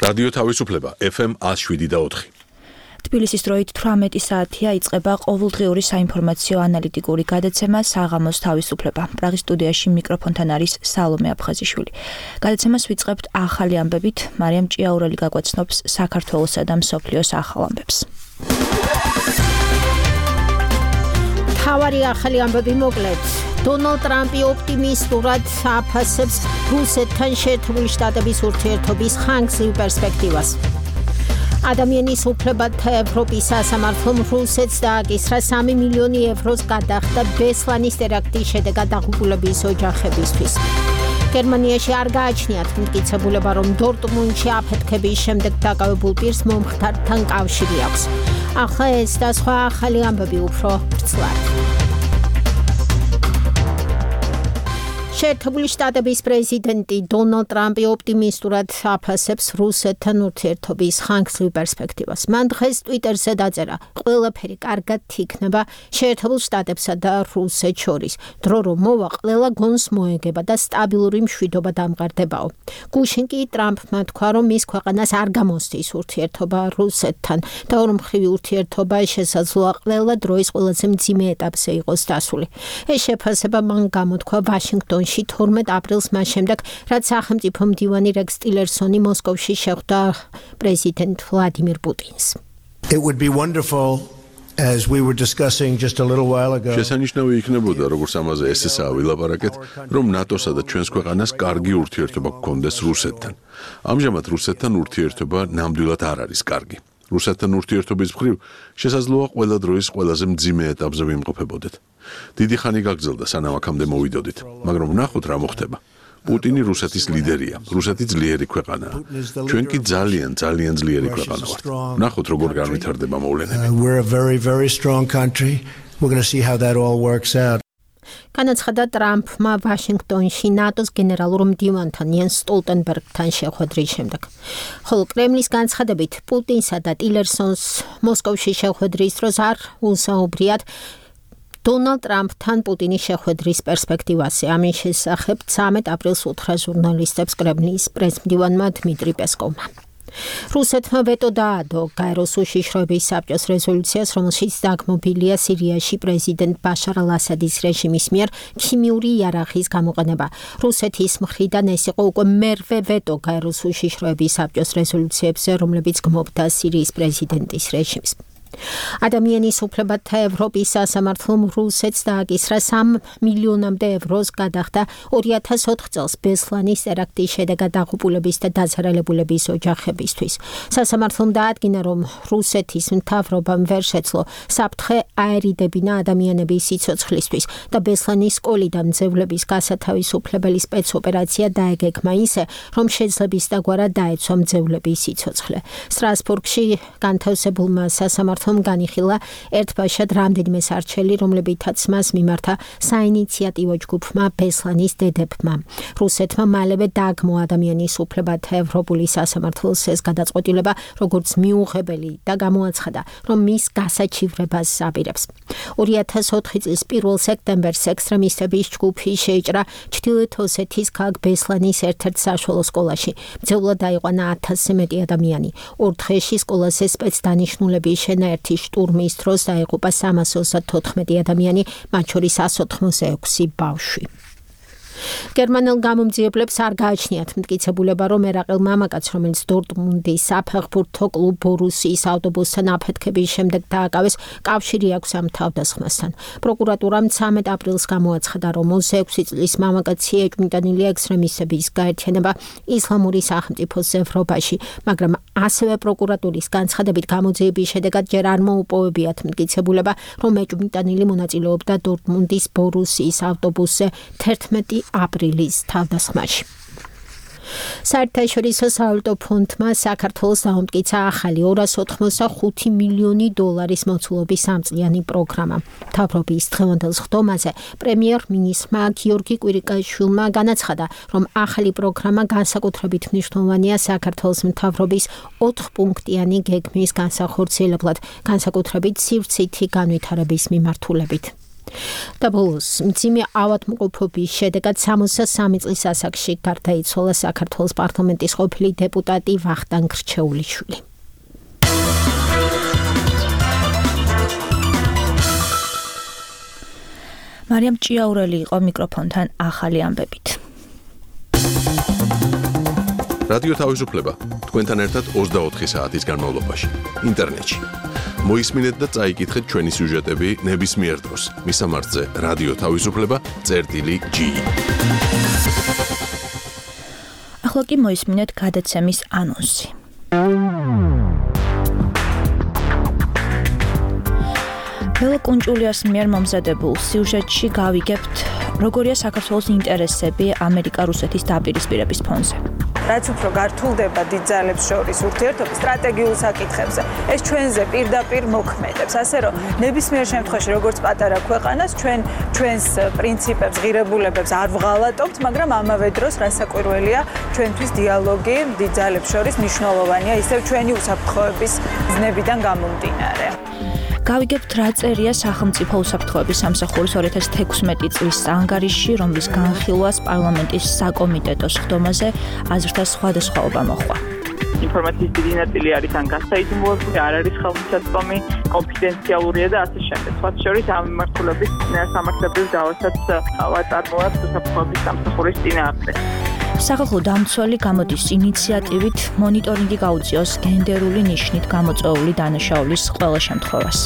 რადიო თავისუფლება FM 107.4. თბილისის დროით 18 საათია იწყება ყოველდღიური საინფორმაციო ანალიტიკური გადაცემა საღამოს თავისუფლება. პრაღის სტუდიაში მიკროფონთან არის სალომე აფხაზიშვილი. გადაცემას ვიწყებთ ახალი ამბებით. მარიამ ჭიაურელი გაგვაცნობს საქართველოსა და მსოფლიოს ახალ ამბებს. თავარი ახალი ამბები მოკლედ. დონალდ ტრამპი ოპტიმისტურად აფასებს რუსეთთან შეერთებული შტატების ურთიერთობის ხანგრძლივ პერსპექტივას. ადამიანის უფლებათა ევროპის სასამართლომ რუსეთს დააკისრა 3 მილიონი ევროს გადახდა ბესლანის ტერაქტის შედეგად დაღუპულების ოჯახებისთვის. გერმანიაში არ გააჩნიათ მტკიცებულება, რომ დორტმუნდში აფეთქების შემდეგ დაკავებულ პირს მომხდართან კავშირი აქვს. ახლა ეს და სხვა ახალი ამბები უფრო ვრცლად. შეერთებული შტატების პრეზიდენტი დონალდ ტრამპი ოპტიმისტურად აფასებს რუსეთთან ურთიერთობის ხანგრძლივ პერსპექტივას. მან დღეს ტვიტერზე დაწერა: ყველაფერი კარგად იქნება შეერთებულ შტატებსა და რუსეთს შორის. დრო რომ მოვა, ყველა გონს მოეგება და სტაბილური მშვიდობა დამყარდებაო. გუშინ კი ტრამპმა თქვა, რომ მის ქვეყანას არ გამოსდის ურთიერთობა რუსეთთან და ორმხრივი ურთიერთობა შესაძლოა ყველა დროის ყველაზე მძიმე ეტაპზე იყოს დასული. ეს შეფასება მან გამოთქვა ვაშინგტონში 12 აპრილს მას შემდეგ, რაც სახელმწიფო მდივანი რეკს ტილერსონი მოსკოვში შეხვდა პრეზიდენტ ვლადიმირ პუტინს. It would be wonderful, as we were discussing just a little while ago. შესანიშნავი იქნებოდა, როგორც ამაზე ესესაა ვილაპარაკეთ, რომ ნატოსა და ჩვენს ქვეყანას კარგი ურთიერთობა გქონდეს რუსეთთან. ამჟამად რუსეთთან ურთიერთობა ნამდვილად არ არის კარგი. რუსეთთან ურთიერთობის მხრივ შესაძლოა ყველა დროის ყველაზე მძიმე ეტაპზე ვიმყოფებოდეთ. დიდი ხანი გაგრძელდა, სანამ აქამდე მოვიდოდით, მაგრამ ვნახოთ რა მოხდება. პუტინი რუსეთის ლიდერია, რუსეთი ძლიერი ქვეყანაა. ჩვენ კი ძალიან ძლიერი ქვეყანა ვართ. ვნახოთ როგორ განვითარდება მოვლენები. We're a very, very strong country. We're going to see how that all works out. განაცხადა ტრამპმა ვაშინგტონში ნატოს გენერალურ მდივანთან იენს სტოლტენბერგთან შეხვედრის შემდეგ. ხოლო კრემლის განცხადებით, პუტინსა და ტილერსონს მოსკოვში შეხვედრის დროს არ უსაუბრიათ დონალდ ტრამპთან პუტინის შეხვედრის პერსპექტივაზე. ამის შესახებ 13 აპრილს უთხრა ჟურნალისტებს კრემლის პრესმდივანმა დმიტრი პესკოვმა. რუსეთმა ვეტო დაადო გაეროს უშიშროების საბჭოს რეზოლუციას, რომელშიც დაგმობილია სირიაში პრეზიდენტ ბაშარ ალ-ასადის რეჟიმის მიერ ქიმიური იარაღის გამოყენება. რუსეთის მხრიდან ეს იყო უკვე მერვე ვეტო გაეროს უშიშროების საბჭოს რეზოლუციებზე, რომლებიც გმობდა სირიის პრეზიდენტის რეჟიმს. ადამიანის უფლებათა ევროპის სასამართლომ რუსეთს დააკისრა 3 მილიონამდე ევროს გადახდა 2004 წელს ბესლანის ტერაქტის შედეგად დაღუპულების და დაზარალებულების ოჯახებისთვის. სასამართლომ დაადგინა, რომ რუსეთის მთავრობამ ვერ შეძლო საფრთხე აერიდებინა ადამიანების სიცოცხლისთვის და ბესლანის სკოლიდან მძევლების გასათავისუფლებელი სპეცოპერაცია დაეგეგმა ისე, რომ შეძლების დაგვარად დაეცვა მძევლების სიცოცხლე. სტრასბურგში განთავსებულმა სასამართლომ განიხილა ერთბაშად რამდენიმე სარჩელი, რომლებითაც მას მიმართა საინიციატივო ჯგუფმა ბესლანის დედებმა. რუსეთმა მალევე დააგმო ადამიანის უფლებათა ევროპული სასამართლოს ეს გადაწყვეტილება როგორც მიუღებელი და გამოაცხადა, რომ მის გასაჩივრებას აპირებს. 2004 წლის 1 სექტემბერს ექსტრემისტების ჯგუფი შეიჭრა ჩრდილოეთ ოსეთის ქალაქ ბესლანის ერთ-ერთ საშუალო სკოლაში. მძევლად დაიყვანა 1000-ზე მეტი ადამიანი. ორ დღეში სკოლაზე სპეცდანიშნულების ერთი შტურმის დროს დაიღუპა 334 ადამიანი, მათ შორის 186 ბავშვი. გერმანელ გამომძიებლებს არ გააჩნიათ მტკიცებულება, რომ ერაყელ მამაკაც, რომელიც დორტმუნდის საფეხბურთო კლუბ ბორუსიის ავტობუსთან აფეთქების შემდეგ დააკავეს, კავშირი აქვს ამ თავდასხმასთან. პროკურატურამ 13 აპრილს გამოაცხადა, რომ 26 წლის მამაკაცი ეჭვმიტანილი ექსტრემისტების გაერთიანება ისლამური სახელმწიფოს ევროპაში, მაგრამ ასევე პროკურატურის განცხადებით გამოძიების შედეგად ჯერ არ მოუპოვებიათ მტკიცებულება, რომ ეჭვმიტანილი მონაწილეობდა დორტმუნდის ბორუსიის ავტობუსზე 11 აპრილის თავდასხმაში. საერთაშორისო სავალუტო ფონდმა საქართველოს დაუმტკიცა ახალი 285 მილიონი დოლარის მოცულობის სამწლიანი პროგრამა. მთავრობის დღევანდელ სხდომაზე პრემიერ-მინისტრმა გიორგი კვირიკაშვილმა განაცხადა, რომ ახალი პროგრამა განსაკუთრებით მნიშვნელოვანია საქართველოს მთავრობის 4 პუნქტიანი გეგმის განსახორციელებლად, განსაკუთრებით სივრცითი განვითარების მიმართულებით. და ბოლოს მძიმე ავადმყოფობის შედეგად 63 წლის ასაკში გარდაიცვალა საქართველოს პარლამენტის ყოფილი დეპუტატი ვახტანგ რჩეულიშვილი. მარიამ ჭიაურელი იყო მიკროფონთან ახალი ამბებით. რადიო თავისუფლება თქვენთან ერთად 24 საათის განმავლობაში ინტერნეტში. მოისმინეთ და წაიკითხეთ ჩვენი სიუჟეტები ნებისმიერ დროს. მისამართზე რადიო თავისუფლება.gi. ახლა კი მოისმინეთ გადაცემის ანონსი. ბელა კუნჭულიას მიერ მომზადებულ სიუჟეტში გავიგებთ, როგორია საქართველოს ინტერესები ამერიკა-რუსეთის დაპირისპირების ფონზე. რაც უფრო გართულდება დიდ ძალებს შორის ურთიერთობა სტრატეგიულ საკითხებზე, ეს ჩვენზე პირდაპირ მოქმედებს, ასე რომ ნებისმიერ შემთხვევაში როგორც პატარა ქვეყანას ჩვენს პრინციპებს, ღირებულებებს არ ვღალატობთ, მაგრამ ამავე დროს რასაკვირველია ჩვენთვის დიალოგი დიდ ძალებს შორის მნიშვნელოვანია, ისევ ჩვენი უსაფრთხოების ზნებიდან გამომდინარე. გავიგებთ, რა წერია სახელმწიფო უსაფრთხოების სამსახურის 2016 წლის ანგარიშში, რომლის განხილვას პარლამენტის საკომიტეტო სხდომაზე აზრთა სხვადასხვაობა მოჰყვა. ინფორმაციის დიდი ნაწილი არის ან გასაიდუმლოებული, არ არის ხელმისაწვდომი, კონფიდენციალურია და ასე შემდეგ. სხვა შორის ამ მიმართულების სამართლებრივ დავასაც ვაწარმოებთ უსაფრთხოების სამსახურის წინააღმდეგ. სახალხო დამცველი გამოდის ინიციატივით მონიტორინგი გაუწიოს გენდერული ნიშნით გამოწვეული დანაშაულის ყველა შემთხვევას.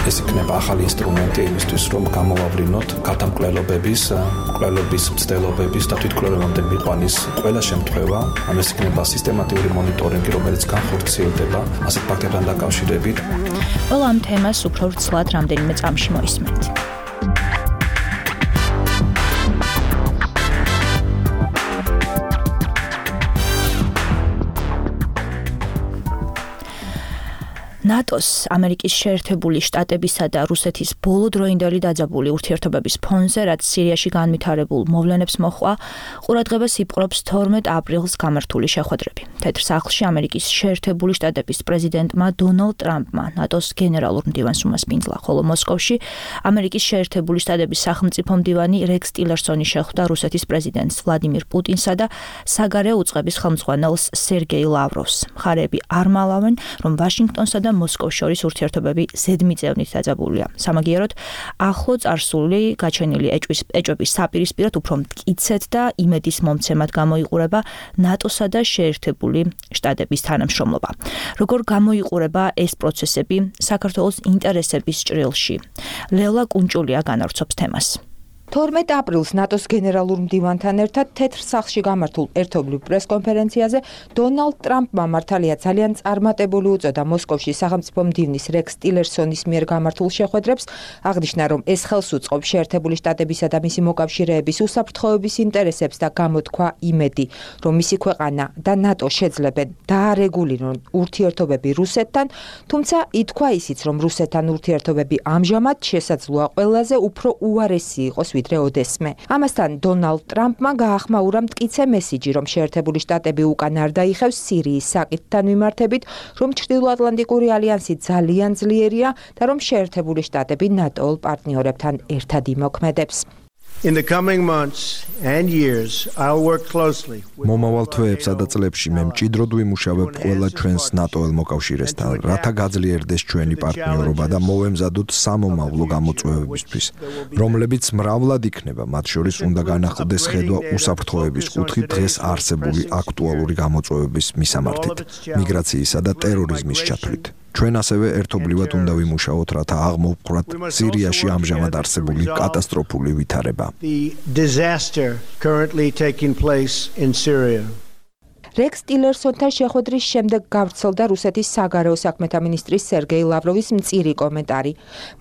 ეს იქნება ახალი ინსტრუმენტი იმისთვის, რომ გამოვავლინოთ გადამკვლელობების, კვლევების მცდელობების და თვითკვლევებამდე მიყვანის ყველა შემთხვევა. ეს იქნება სისტემატიური მონიტორინგი, რომელიც განხორციელდება ასეთ ფაქტებთან დაკავშირებით. ყველა ამ თემას უფრო ვრცლად რამდენიმე წამში მოისმენთ. ნატოს, ამერიკის შეერთებული შტატებისა და რუსეთის ბოლოდროინდელი დაძაბული ურთიერთობების ფონზე, რაც სირიაში განვითარებულ მოვლენებს მოჰყვა, ყურადღებას იპყრობს 12 აპრილს გამართული შეხვედრები. თეთრ სახლში ამერიკის შეერთებული შტატების პრეზიდენტმა დონალდ ტრამპმა ნატოს გენერალურ მდივანს უმასპინძლა, ხოლო მოსკოვში ამერიკის შეერთებული შტატების სახელმწიფო მდივანი რექს ტილერსონი შეხვდა რუსეთის პრეზიდენტს ვლადიმირ პუტინსა და საგარეო უწყების ხელმძღვანელს სერგეი ლავროვს. მხარეები არ მალავენ, რომ ვაშინგტონსა და მოსკოვს შორის ურთიერთობები ზედმიწევნით დაძაბულია. სამაგიეროდ, ახლო წარსული გაჩენილი ეჭვების საპირისპიროდ უფრო მტკიცედ და იმედის მომცემად გამოიყურება ნატოსა და შეერთებული შტატების თანამშრომლობა. როგორ გამოიყურება ეს პროცესები საქართველოს ინტერესების ჭრილში? ლელა კუნჭულია განავრცობს თემას. 12 აპრილს ნატოს გენერალურ მდივანთან ერთად თეთრ სახლში გამართულ ერთობლივ პრესკონფერენციაზე დონალდ ტრამპმა მართალია ძალიან წარმატებული უწოდა მოსკოვში სახელმწიფო მდივნის რექს ტილერსონის მიერ გამართულ შეხვედრებს, აღნიშნა, რომ ეს ხელს უწყობს შეერთებული შტატებისა და მისი მოკავშირეების უსაფრთხოების ინტერესებს და გამოთქვა იმედი, რომ მისი ქვეყანა და ნატო შეძლებენ დაარეგულირონ ურთიერთობები რუსეთთან, თუმცა ითქვა ისიც, რომ რუსეთთან ურთიერთობები ამჟამად შესაძლოა ყველაზე უფრო უარესი იყოს ვიდრე ოდესმე. ამასთან დონალდ ტრამპმა გაახმაურა მტკიცე მესიჯი, რომ შეერთებული შტატები უკან არ დაიხევს სირიის საკითხთან მიმართებით, რომ ჩრდილოატლანტიკური ალიანსი ძალიან ძლიერია და რომ შეერთებული შტატები ნატოულ პარტნიორებთან ერთად იმოქმედებს. In the coming months and years, I'll work closely. მომავალ თვეებსა და წლებში მე მჭიდროდ ვიმუშავებ ყველა ჩვენს ნატოელ მოკავშირესთან, რათა გაძლიერდეს ჩვენი პარტნიორობა და მოვემზადოთ სამომავლო გამოწვევებისთვის, რომლებიც მრავლად იქნება, მათ შორის უნდა განახლდეს ხედვა უსაფრთხოების კუთხით დღეს არსებული აქტუალური გამოწვევების მისამართით, მიგრაციისა და ტერორიზმის ჩათვლით. ჩვენ ასევე ერთობლივად უნდა ვიმუშაოთ, რათა აღმოვყვრათ სირიაში ამჟამად არსებული კატასტროფული ვითარება. The disaster currently taking place in Syria. რექს ტილერსონთან შეხვედრის შემდეგ გავრცელდა რუსეთის საგარეო საქმეთა მინისტრის სერგეი ლავროვის მწირი კომენტარი.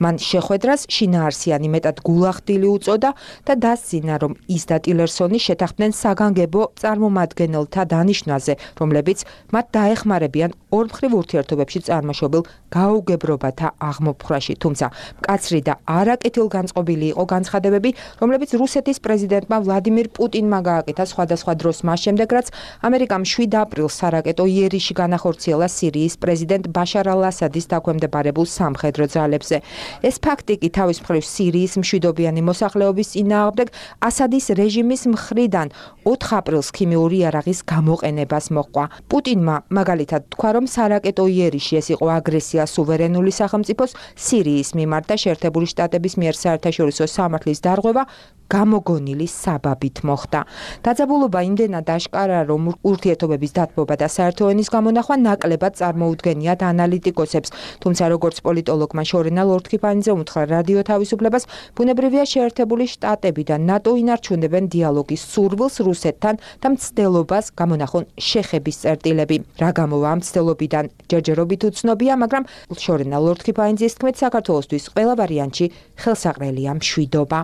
მან შეხვედრას შინაარსიანი მეტად გულახდილი უწოდა და დასძინა, რომ ის და ტილერსონი შეთანხმდნენ საგანგებო წარმომადგენელთა დანიშვნაზე, რომლებიც მათ დაეხმარებიან ორმხრივ ურთიერთობებში წარმოშობილ გაუგებრობათა აღმოფხვრაში. თუმცა მკაცრი და არაკეთილგანწყობილი იყო განცხადებები, რომლებიც რუსეთის პრეზიდენტმა ვლადიმირ პუტინმა გააკეთა სხვადასხვა დროს მას შემდეგ, რაც ამერიკის ამერიკამ 7 აპრილს სარაკეტო იერიში განახორციელა სირიის პრეზიდენტ ბაშარ ალ-ასადის დაქვემდებარებულ სამხედრო ძალებზე. ეს ფაქტი კი თავის მხრივ სირიის მშვიდობიანი მოსახლეობის წინააღმდეგ ასადის რეჟიმის მხრიდან 4 აპრილს ქიმიური იარაღის გამოყენებას მოჰყვა. პუტინმა მაგალითად თქვა, რომ სარაკეტო იერიში ეს იყო აგრესია სუვერენული სახელმწიფოს სირიის მიმართ და შეერთებული შტატების მიერ საერთაშორისო სამართლის დარღვევა გამოგონილი საბაბით მოხდა. დაძაბულობა იმდენად აშკარაა, რომ ურთიერთობების დათბობა და საერთო ენის გამონახვა ნაკლებად წარმოუდგენიათ ანალიტიკოსებს. თუმცა როგორც პოლიტოლოგმა შორენა ლორთქიფანიძე უთხრა რადიო თავისუფლებას, ბუნებრივია შეერთებული შტატები და ნატო ინარჩუნებენ დიალოგის სურვილს რუსეთთან და მცდელობას გამონახონ შეხების წერტილები. რა გამოვა ამ მცდელობიდან ჯერჯერობით უცნობია, მაგრამ შორენა ლორთქიფანიძის თქმით, საქართველოსთვის ყველა ვარიანტში ხელსაყრელია მშვიდობა.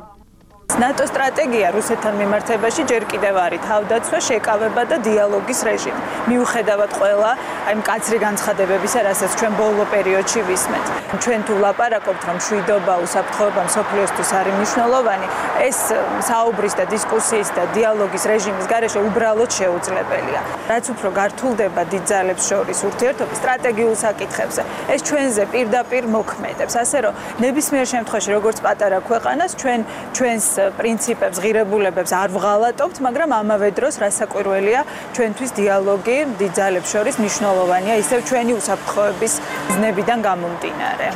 ნატო სტრატეგია რუსეთთან მიმართებაში ჯერ კიდევ არის თავდაცვა, შეკავება და დიალოგის რეჟიმი. მიუხედავად ყველა აი მკაცრი განცხადებებისა, რასაც ჩვენ ბოლო პერიოდში ვისმენთ. ჩვენ თუ ვლაპარაკობთ, რომ მშვიდობა, უსაფრთხოება მსოფლიოსთვის არის მნიშვნელოვანი, ეს საუბრის და დისკუსიის და დიალოგის რეჟიმის გარეშე უბრალოდ შეუძლებელია. რაც უფრო გართულდება დიდ ძალებს შორის ურთიერთობა სტრატეგიულ საკითხებზე, ეს ჩვენზე პირდაპირ მოქმედებს. ასე რომ ნებისმიერ შემთხვევაში, როგორც პატარა ქვეყანას, ჩვენს პრინციპებს, ღირებულებებს არ ვღალატობთ, მაგრამ ამავე დროს რასაკვირველია, ჩვენთვის დიალოგი დიდ ძალებს შორის მნიშვნელოვანია, ისევ ჩვენი უსაფრთხოების ზნებიდან გამომდინარე.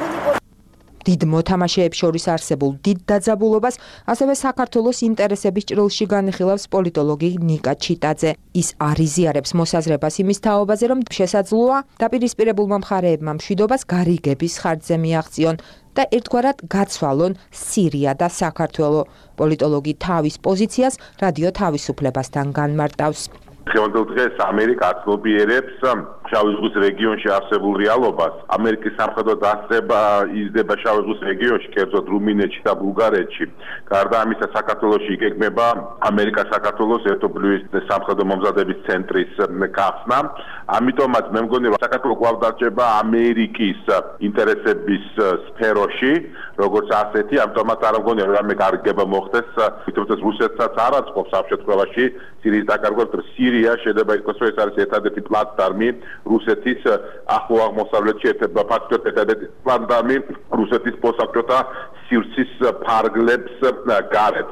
დიდ მოთამაშეებს შორის არსებულ დიდ დაძაბულობას ასევე საქართველოს ინტერესების ჭრილში განიხილავს პოლიტოლოგი ნიკა ჩიტაძე. ის არიზიარებს მოსაზრებას იმის თაობაზე, რომ შესაძლოა დაპირისპირებულმა მხარეებმა მშვიდობას გარიგების ხარჯზე მიაღწიონ და ერთგვარად გაცვალონ სირია და საქართველო. პოლიტოლოგი თავის პოზიციას რადიო თავისუფლებასთან განმარტავს. დღევანდელ დღეს ამერიკა აცნობიერებს შავი ზღვის რეგიონში არსებულ რეალობას. ამერიკის სამხედრო დასწრება იზრდება შავი ზღვის რეგიონში, კერძოდ რუმინეთში და ბულგარეთში. გარდა ამისა, საქართველოში იგეგმება ამერიკა-საქართველოს ერთობლივი სამხედრო მომზადების ცენტრის გახსნა. ამიტომაც მე მგონი, რომ საქართველო კვლავ დარჩება ამერიკის ინტერესების სფეროში, როგორც ასეთი, ამიტომაც არ მგონია, რომ რამე გარიგება მოხდეს, თუმცა რუსეთსაც არ აწყობს ამ შემთხვევაში სირიის დაკარგვას. სირია შეიძლება იყოს, რომ ეს არის ერთადერთი პლატფორმი რუსეთის ახლო აღმოსავლეთში, ერთადერთი პლატფორმი რუსეთის მოსახლეთა სივრცის ფარგლებს გარეთ.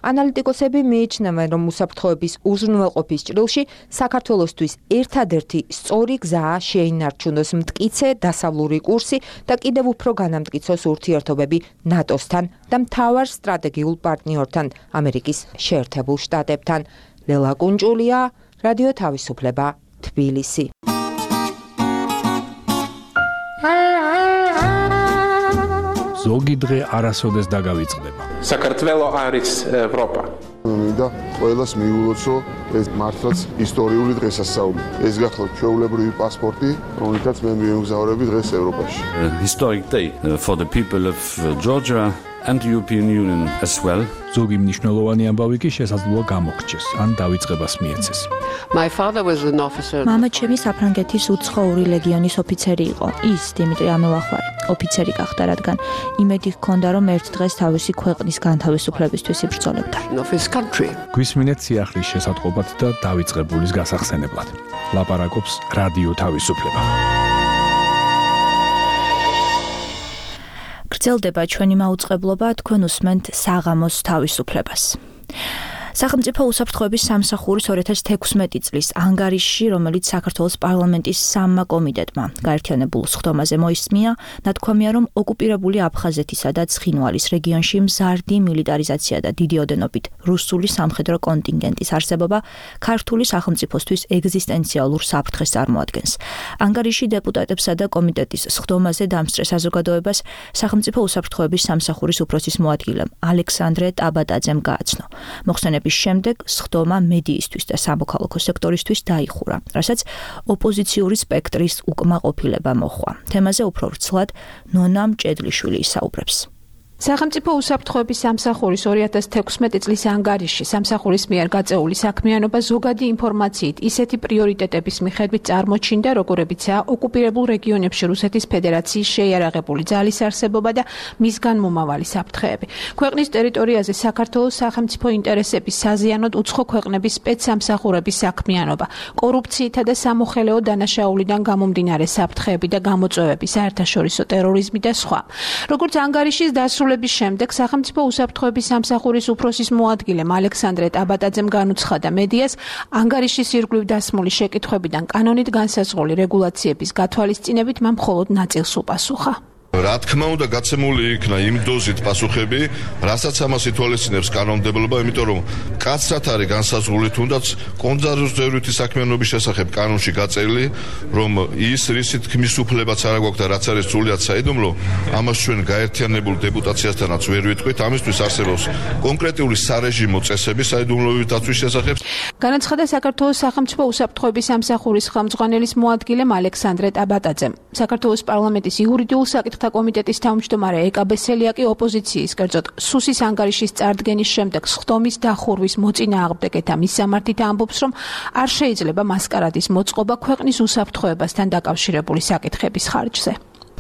ანალიტიკოსები მიიჩნევენ, რომ უსაფრთხოების უზრუნველყოფის ჭრილში საქართველოსთვის ერთადერთი სწორი გზაა შეინარჩუნოს მტკიცე დასავლური კურსი და კიდევ უფრო განამტკიცოს ურთიერთობები ნატოსთან და მთავარ სტრატეგიულ პარტნიორთან, ამერიკის შეერთებულ შტატებთან. ლელა კუნჭულია, რადიო თავისუფლება, თბილისი. ზოგი დღე არასოდეს დაგავიწყდება. საქართველო არის ევროპა. მინდა ყველას მიულოცო ეს მართლაც ისტორიული დღესასწაული. ეს გახლავთ ჩვეულებრივი პასპორტი, რომელთაც მე მიემგზავრები დღეს ევროპაში. Historic day for the people of Georgia and the European Union as well. ზოგი მნიშვნელოვანი ამბავი კი შესაძლოა გამოგრჩეს, ან დავიწყებას მიეცეს. My father was an officer. მამა ჩემი საფრანგეთის უცხოური ლეგიონის ოფიცერი იყო. ის დიმიტრი ამელახვარი ოფიცერი გახდა, რადგან იმედი ჰქონდა, რომ ერთ დღეს თავისი ქვეყნის განთავისუფლებისთვის იბრძოლებდა. გვისმინეთ სიახლის შესატყობად და დავიწყებულის გასახსენებლად. ლაპარაკობს რადიო თავისუფლება. გრძელდება ჩვენი მაუწყებლობა, თქვენ უსმენთ საღამოს თავისუფლებას. სახელმწიფო უსაფრთხოების სამსახურის 2016 წლის ანგარიშში, რომელიც საქართველოს პარლამენტის სამმა კომიტეტმა გაერთიანებულ სხდომაზე მოისმია, ნათქვამია, რომ ოკუპირებული აფხაზეთისა და ცხინვალის რეგიონში მზარდი მილიტარიზაცია და დიდი ოდენობით რუსული სამხედრო კონტინგენტის არსებობა ქართული სახელმწიფოსთვის ეგზისტენციალურ საფრთხეს წარმოადგენს. ანგარიში დეპუტატებსა და კომიტეტის სხდომაზე დამსწრე საზოგადოებას სახელმწიფო უსაფრთხოების სამსახურის უფროსის მოადგილემ ალექსანდრე ტაბატაძემ გააცნო. მოხსენების შემდეგ სხდომა მედიისთვის და სამოქალაქო სექტორისთვის დაიხურა, რასაც ოპოზიციური სპექტრის უკმაყოფილება მოჰყვა. თემაზე უფრო ვრცლად ნონა მჭედლიშვილი ისაუბრებს. სახელმწიფო უსაფრთხოების სამსახურის 2016 წლის ანგარიშში სამსახურის მიერ გაწეული საქმიანობა ზოგადი ინფორმაციით ისეთი პრიორიტეტების მიხედვით წარმოჩინდა, როგორებიცაა ოკუპირებულ რეგიონებში რუსეთის ფედერაციის შეიარაღებული ძალის არსებობა და მისგან მომავალი საფრთხეები. ქვეყნის ტერიტორიაზე საქართველოს სახელმწიფო ინტერესების საზიანოდ უცხო ქვეყნების სპეცსამსახურების საქმიანობა, კორუფციითა და სამოხელეო დანაშაულიდან გამომდინარე საფრთხეები და გამოწვევები, საერთაშორისო ტერორიზმი და სხვა. როგორც ანგარიშის დასრულების შემდეგ სახელმწიფო უსაფრთხოების სამსახურის უფროსის მოადგილემ ალექსანდრე ტაბატაძემ განუცხადა მედიას, ანგარიშის ირგვლივ დასმული შეკითხვებიდან კანონით განსაზღვრული რეგულაციების გათვალისწინებით მან მხოლოდ ნაწილს უპასუხა. რა თქმა უნდა გაცემული იქნა იმ დოზით პასუხები, რასაც ამას ითვალისწინებს კანონმდებლობა, იმიტომ რომ კაცრად არის განსაზღვრული თუნდაც კონძარვირთვით საქმიანობის შესახებ კანონში გაწერილი, რომ ის რისი თქმის უფლებაც არ აქვს და რაც არის სრულიად საიდუმლო, ამას ჩვენ გაერთიანებულ დეპუტაციასთანაც ვერ ვიტყვით, ამისთვის არსებობს კონკრეტული სარეჟიმო წესები საიდუმლოების დაცვის შესახებ. განაცხადა საქართველოს სახელმწიფო უსაფრთხოების სამსახურის ხელმძღვანელის მოადგილემ ალექსანდრე ტაბატაძემ. საქართველოს პარლამენტის იურიდიულ საკითხთა კომიტეტის თავმჯდომარე ეკა ბესელია კი ოპოზიციის, კერძოდ სუსის ანგარიშის წარდგენის შემდეგ სხდომის დახურვის მოწინააღმდეგეთა მისამართით ამბობს, რომ არ შეიძლება მასკარადის მოწყობა ქვეყნის უსაფრთხოებასთან დაკავშირებული საკითხების ხარჯზე.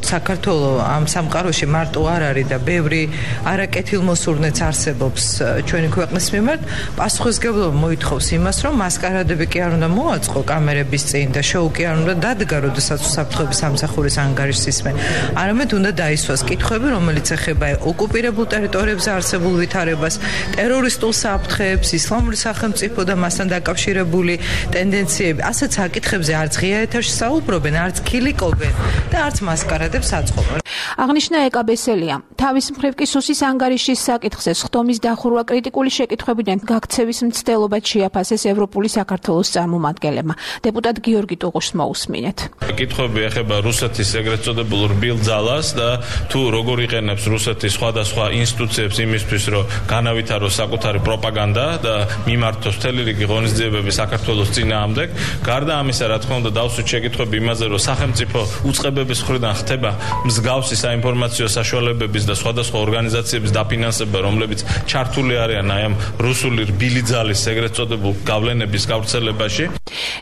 საქართველოს ამ სამყაროში მარტო არ არის და ბევრი არაკეთილმოსურნეც არსებობს ჩვენი ქვეყნის მიმართ. პასუხისმგებლობა მოითხოვს იმას, რომ მასკარადები კი არ უნდა მოაწყო კამერების წინ და შოუ კი არ უნდა დადგა, როდესაც უსაფრთხოების სამსახურის ანგარიშს ისმენ. არამედ უნდა დაისვას კითხვები, რომელიც ეხება ოკუპირებულ ტერიტორიებზე არსებულ ვითარებას, ტერორისტულ საფრთხეებს, ისლამური სახელმწიფო და მასთან დაკავშირებული ტენდენციები. ასეთ საკითხებზე არც ღია ეთერში საუბრობენ, არც ქილიკობენ და არც მასკარადები აღნიშნა ეკა ბესელია. თავის მხრივ კი სუსის ანგარიშის საკითხზე სხდომის დახურვა კრიტიკული შეკითხვებიდან გაქცევის მცდელობად შეაფასეს ევროპული საქართველოს წარმომადგენლებმა. დეპუტატ გიორგი ტუღუშს მოусმინეთ. კითხვები ეხება რუსეთის ეგრეთ წოდებულ რბილ ძალას და თუ როგორ იყენებს რუსეთის სხვადასხვა ინსტიტუციებს იმისთვის, რომ განავითაროს საკუთარი პროპაგანდა და მიმართოს მთელი რიგი ღონისძიებები საქართველოს წინააღმდეგ. გარდა ამისა, რა თქმა უნდა, დავსვით შეკითხვები იმაზე, რომ სახელმწიფო უწყებების მხრიდან ხდება მსგავსი საინფორმაციო საშუალებების და სხვადასხვა ორგანიზაციების დაფინანსება, რომლებიც ჩართული არიან აი ამ რუსული რბილი ძალის ეგრეთ წოდებულ გავლენების გავრცელებაში.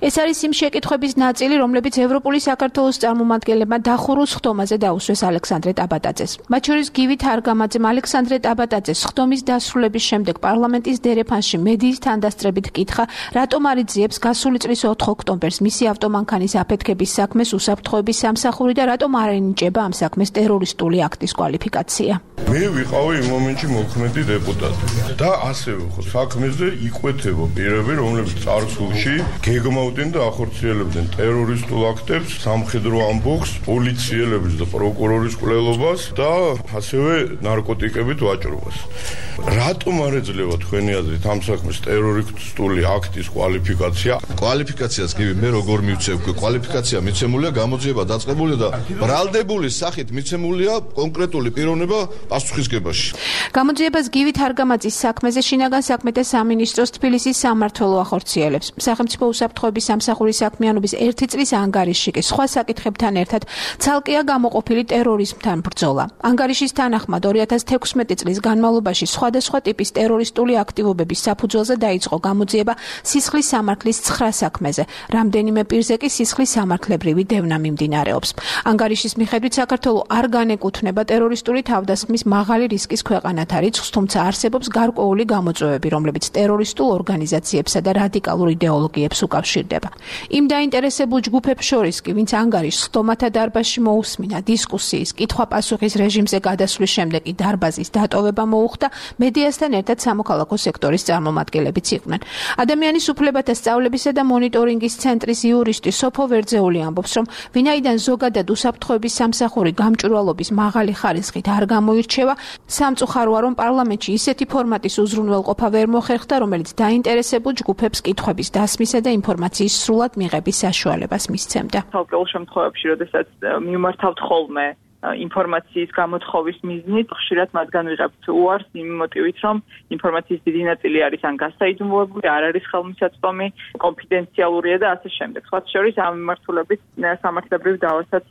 ეს არის იმ შეკითხვების ნაწილი, რომლებიც ევროპული საქართველოს წარმომადგენლებმა დახურულ სხდომაზე დაუსვეს ალექსანდრე ტაბატაძეს. მათ შორის გივით არგამაძემ ალექსანდრე ტაბატაძეს სხდომის დასრულების შემდეგ პარლამენტის დერეფანში მედიის თანდასწრებით კითხა, რატომ არ იძიებს გასული წლის 4 ოქტომბერს მისი ავტომანქანის აფეთქების საქმეს უსაფრთხოების სამსახური და რატომ არ ენიჭება ამ საქმეს ტერორისტული აქტის კვალიფიკაცია. მე ვიყავი იმ მომენტში მოქმედი დეპუტატი და ასევე ხო საქმეზე იკვეთება პირები, რომლებიც წარსულში გეგმავდნენ და ახორციელებდნენ ტერორისტულ აქტებს, სამხედრო ამბოხს, პოლიციელების და პროკურორის კვლელობას და ასევე ნარკოტიკებით ვაჭრობას. რატომ არ ეძლევა თქვენი აზრით ამ საქმეს ტერორისტული აქტის კვალიფიკაცია? კვალიფიკაციას კი მე როგორ მივცევ? კვალიფიკაცია მიცემულია, გამოძიება დაწყებულია და ბრალდებული სახით მიცემულია კონკრეტული პიროვნება პასუხისგებაში. გამოძიებას გივით არგამაძის საქმეზე შინაგან საქმეთა სამინისტროს თბილისის სამმართველო ახორციელებს. სახელმწიფო უსაფრთხოების სამსახურის საქმიანობის 1 წლის ანგარიში კი სხვა საკითხებთან ერთად ცალკეა გამოყოფილი ტერორიზმთან ბრძოლა. ანგარიშის თანახმად 2016 წლის განმავლობაში სხვადასხვა ტიპის ტერორისტული აქტივობების საფუძველზე დაიწყო გამოძიება სისხლის სამართლის 9 საქმეზე. რამდენიმე პირზე კი სისხლის სამართლებრივი დევნა მიმდინარეობს. ანგარიშის მიხედვით საქართველოს არ განეკუთვნება ტერორისტული თავდასხმის მაღალი რისკის ქვეყანად რიცხვს, თუმცა არსებობს გარკვეული გამოწვევები, რომლებიც ტერორისტულ ორგანიზაციებსა და რადიკალურ იდეოლოგიებს უკავშირდება. იმ დაინტერესებულ ჯგუფებს შორის კი, ვინც ანგარიშს სხდომათა დარბაზში მოусმინა, დისკუსიის, კითხვა-პასუხის რეჟიმზე გადასვლის შემდეგ კი დარბაზის დატოვება მოუხდა, მედიასთან ერთად სამოქალაქო სექტორის წარმომადგენლებიც იყვნენ. ადამიანის უფლებათა სწავლებისა და მონიტორინგის ცენტრის იურისტი სოფო ვერძეული ამბობს, რომ ვინაიდან ზოგადად უსაფრთხოების სამსახური გამჭვირვალობის მაღალი ხარისხით არ გამოირჩევა, სამწუხაროა, რომ პარლამენტში ისეთი ფორმატის უზრუნველყოფა ვერ მოხერხდა, რომელიც დაინტერესებულ ჯგუფებს კითხვების დასმისა და ინფორმაციის სრულად მიღების საშუალებას მისცემდა. თალკეულ შემთხვევებში, როდესაც მიმართავთ ხოლმე ინფორმაციის გამოთხოვის მიზნით ხშირად მათგან ვიღებთ უარს იმ მოტივით, რომ ინფორმაციის დიდი ნაწილი არის ან გასაიდუმლოებული, არ არის ხელმისაწვდომი, კონფიდენციალურია და ასე შემდეგ. სხვა შორის ამ მიმართულებით სამართლებრივ დავასაც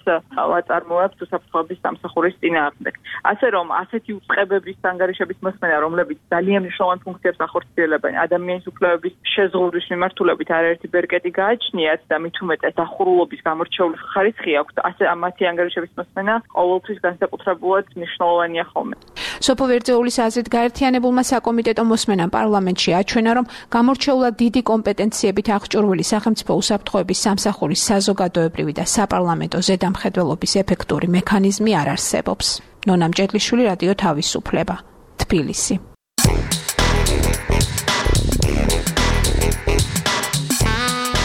ვაწარმოებთ უსაფრთხოების სამსახურის წინააღმდეგ. ასე რომ ასეთი უწყებების ანგარიშების მოსმენა, რომლებიც ძალიან მნიშვნელოვან ფუნქციებს ახორციელებენ ადამიანის უფლებების შეზღუდვის მიმართულებით არაერთი ბერკეტი გააჩნიათ და მით უმეტეს დახურულობის გამორჩეული ხარისხი აქვს, ასე მათი ანგარიშების მოსმენა ყოველთვის განსაკუთრებულად მნიშვნელოვანია ხოლმე. სოფო ვერძეულის აზრით გაერთიანებულმა საკომიტეტო მოსმენამ პარლამენტში აჩვენა, რომ გამორჩეულად დიდი კომპეტენციებით აღჭურვილი სახელმწიფო უსაფრთხოების სამსახურის საზოგადოებრივი და საპარლამენტო ზედამხედველობის ეფექტური მექანიზმი არ არსებობს. ნონა მჭედლიშვილი, რადიო თავისუფლება, თბილისი.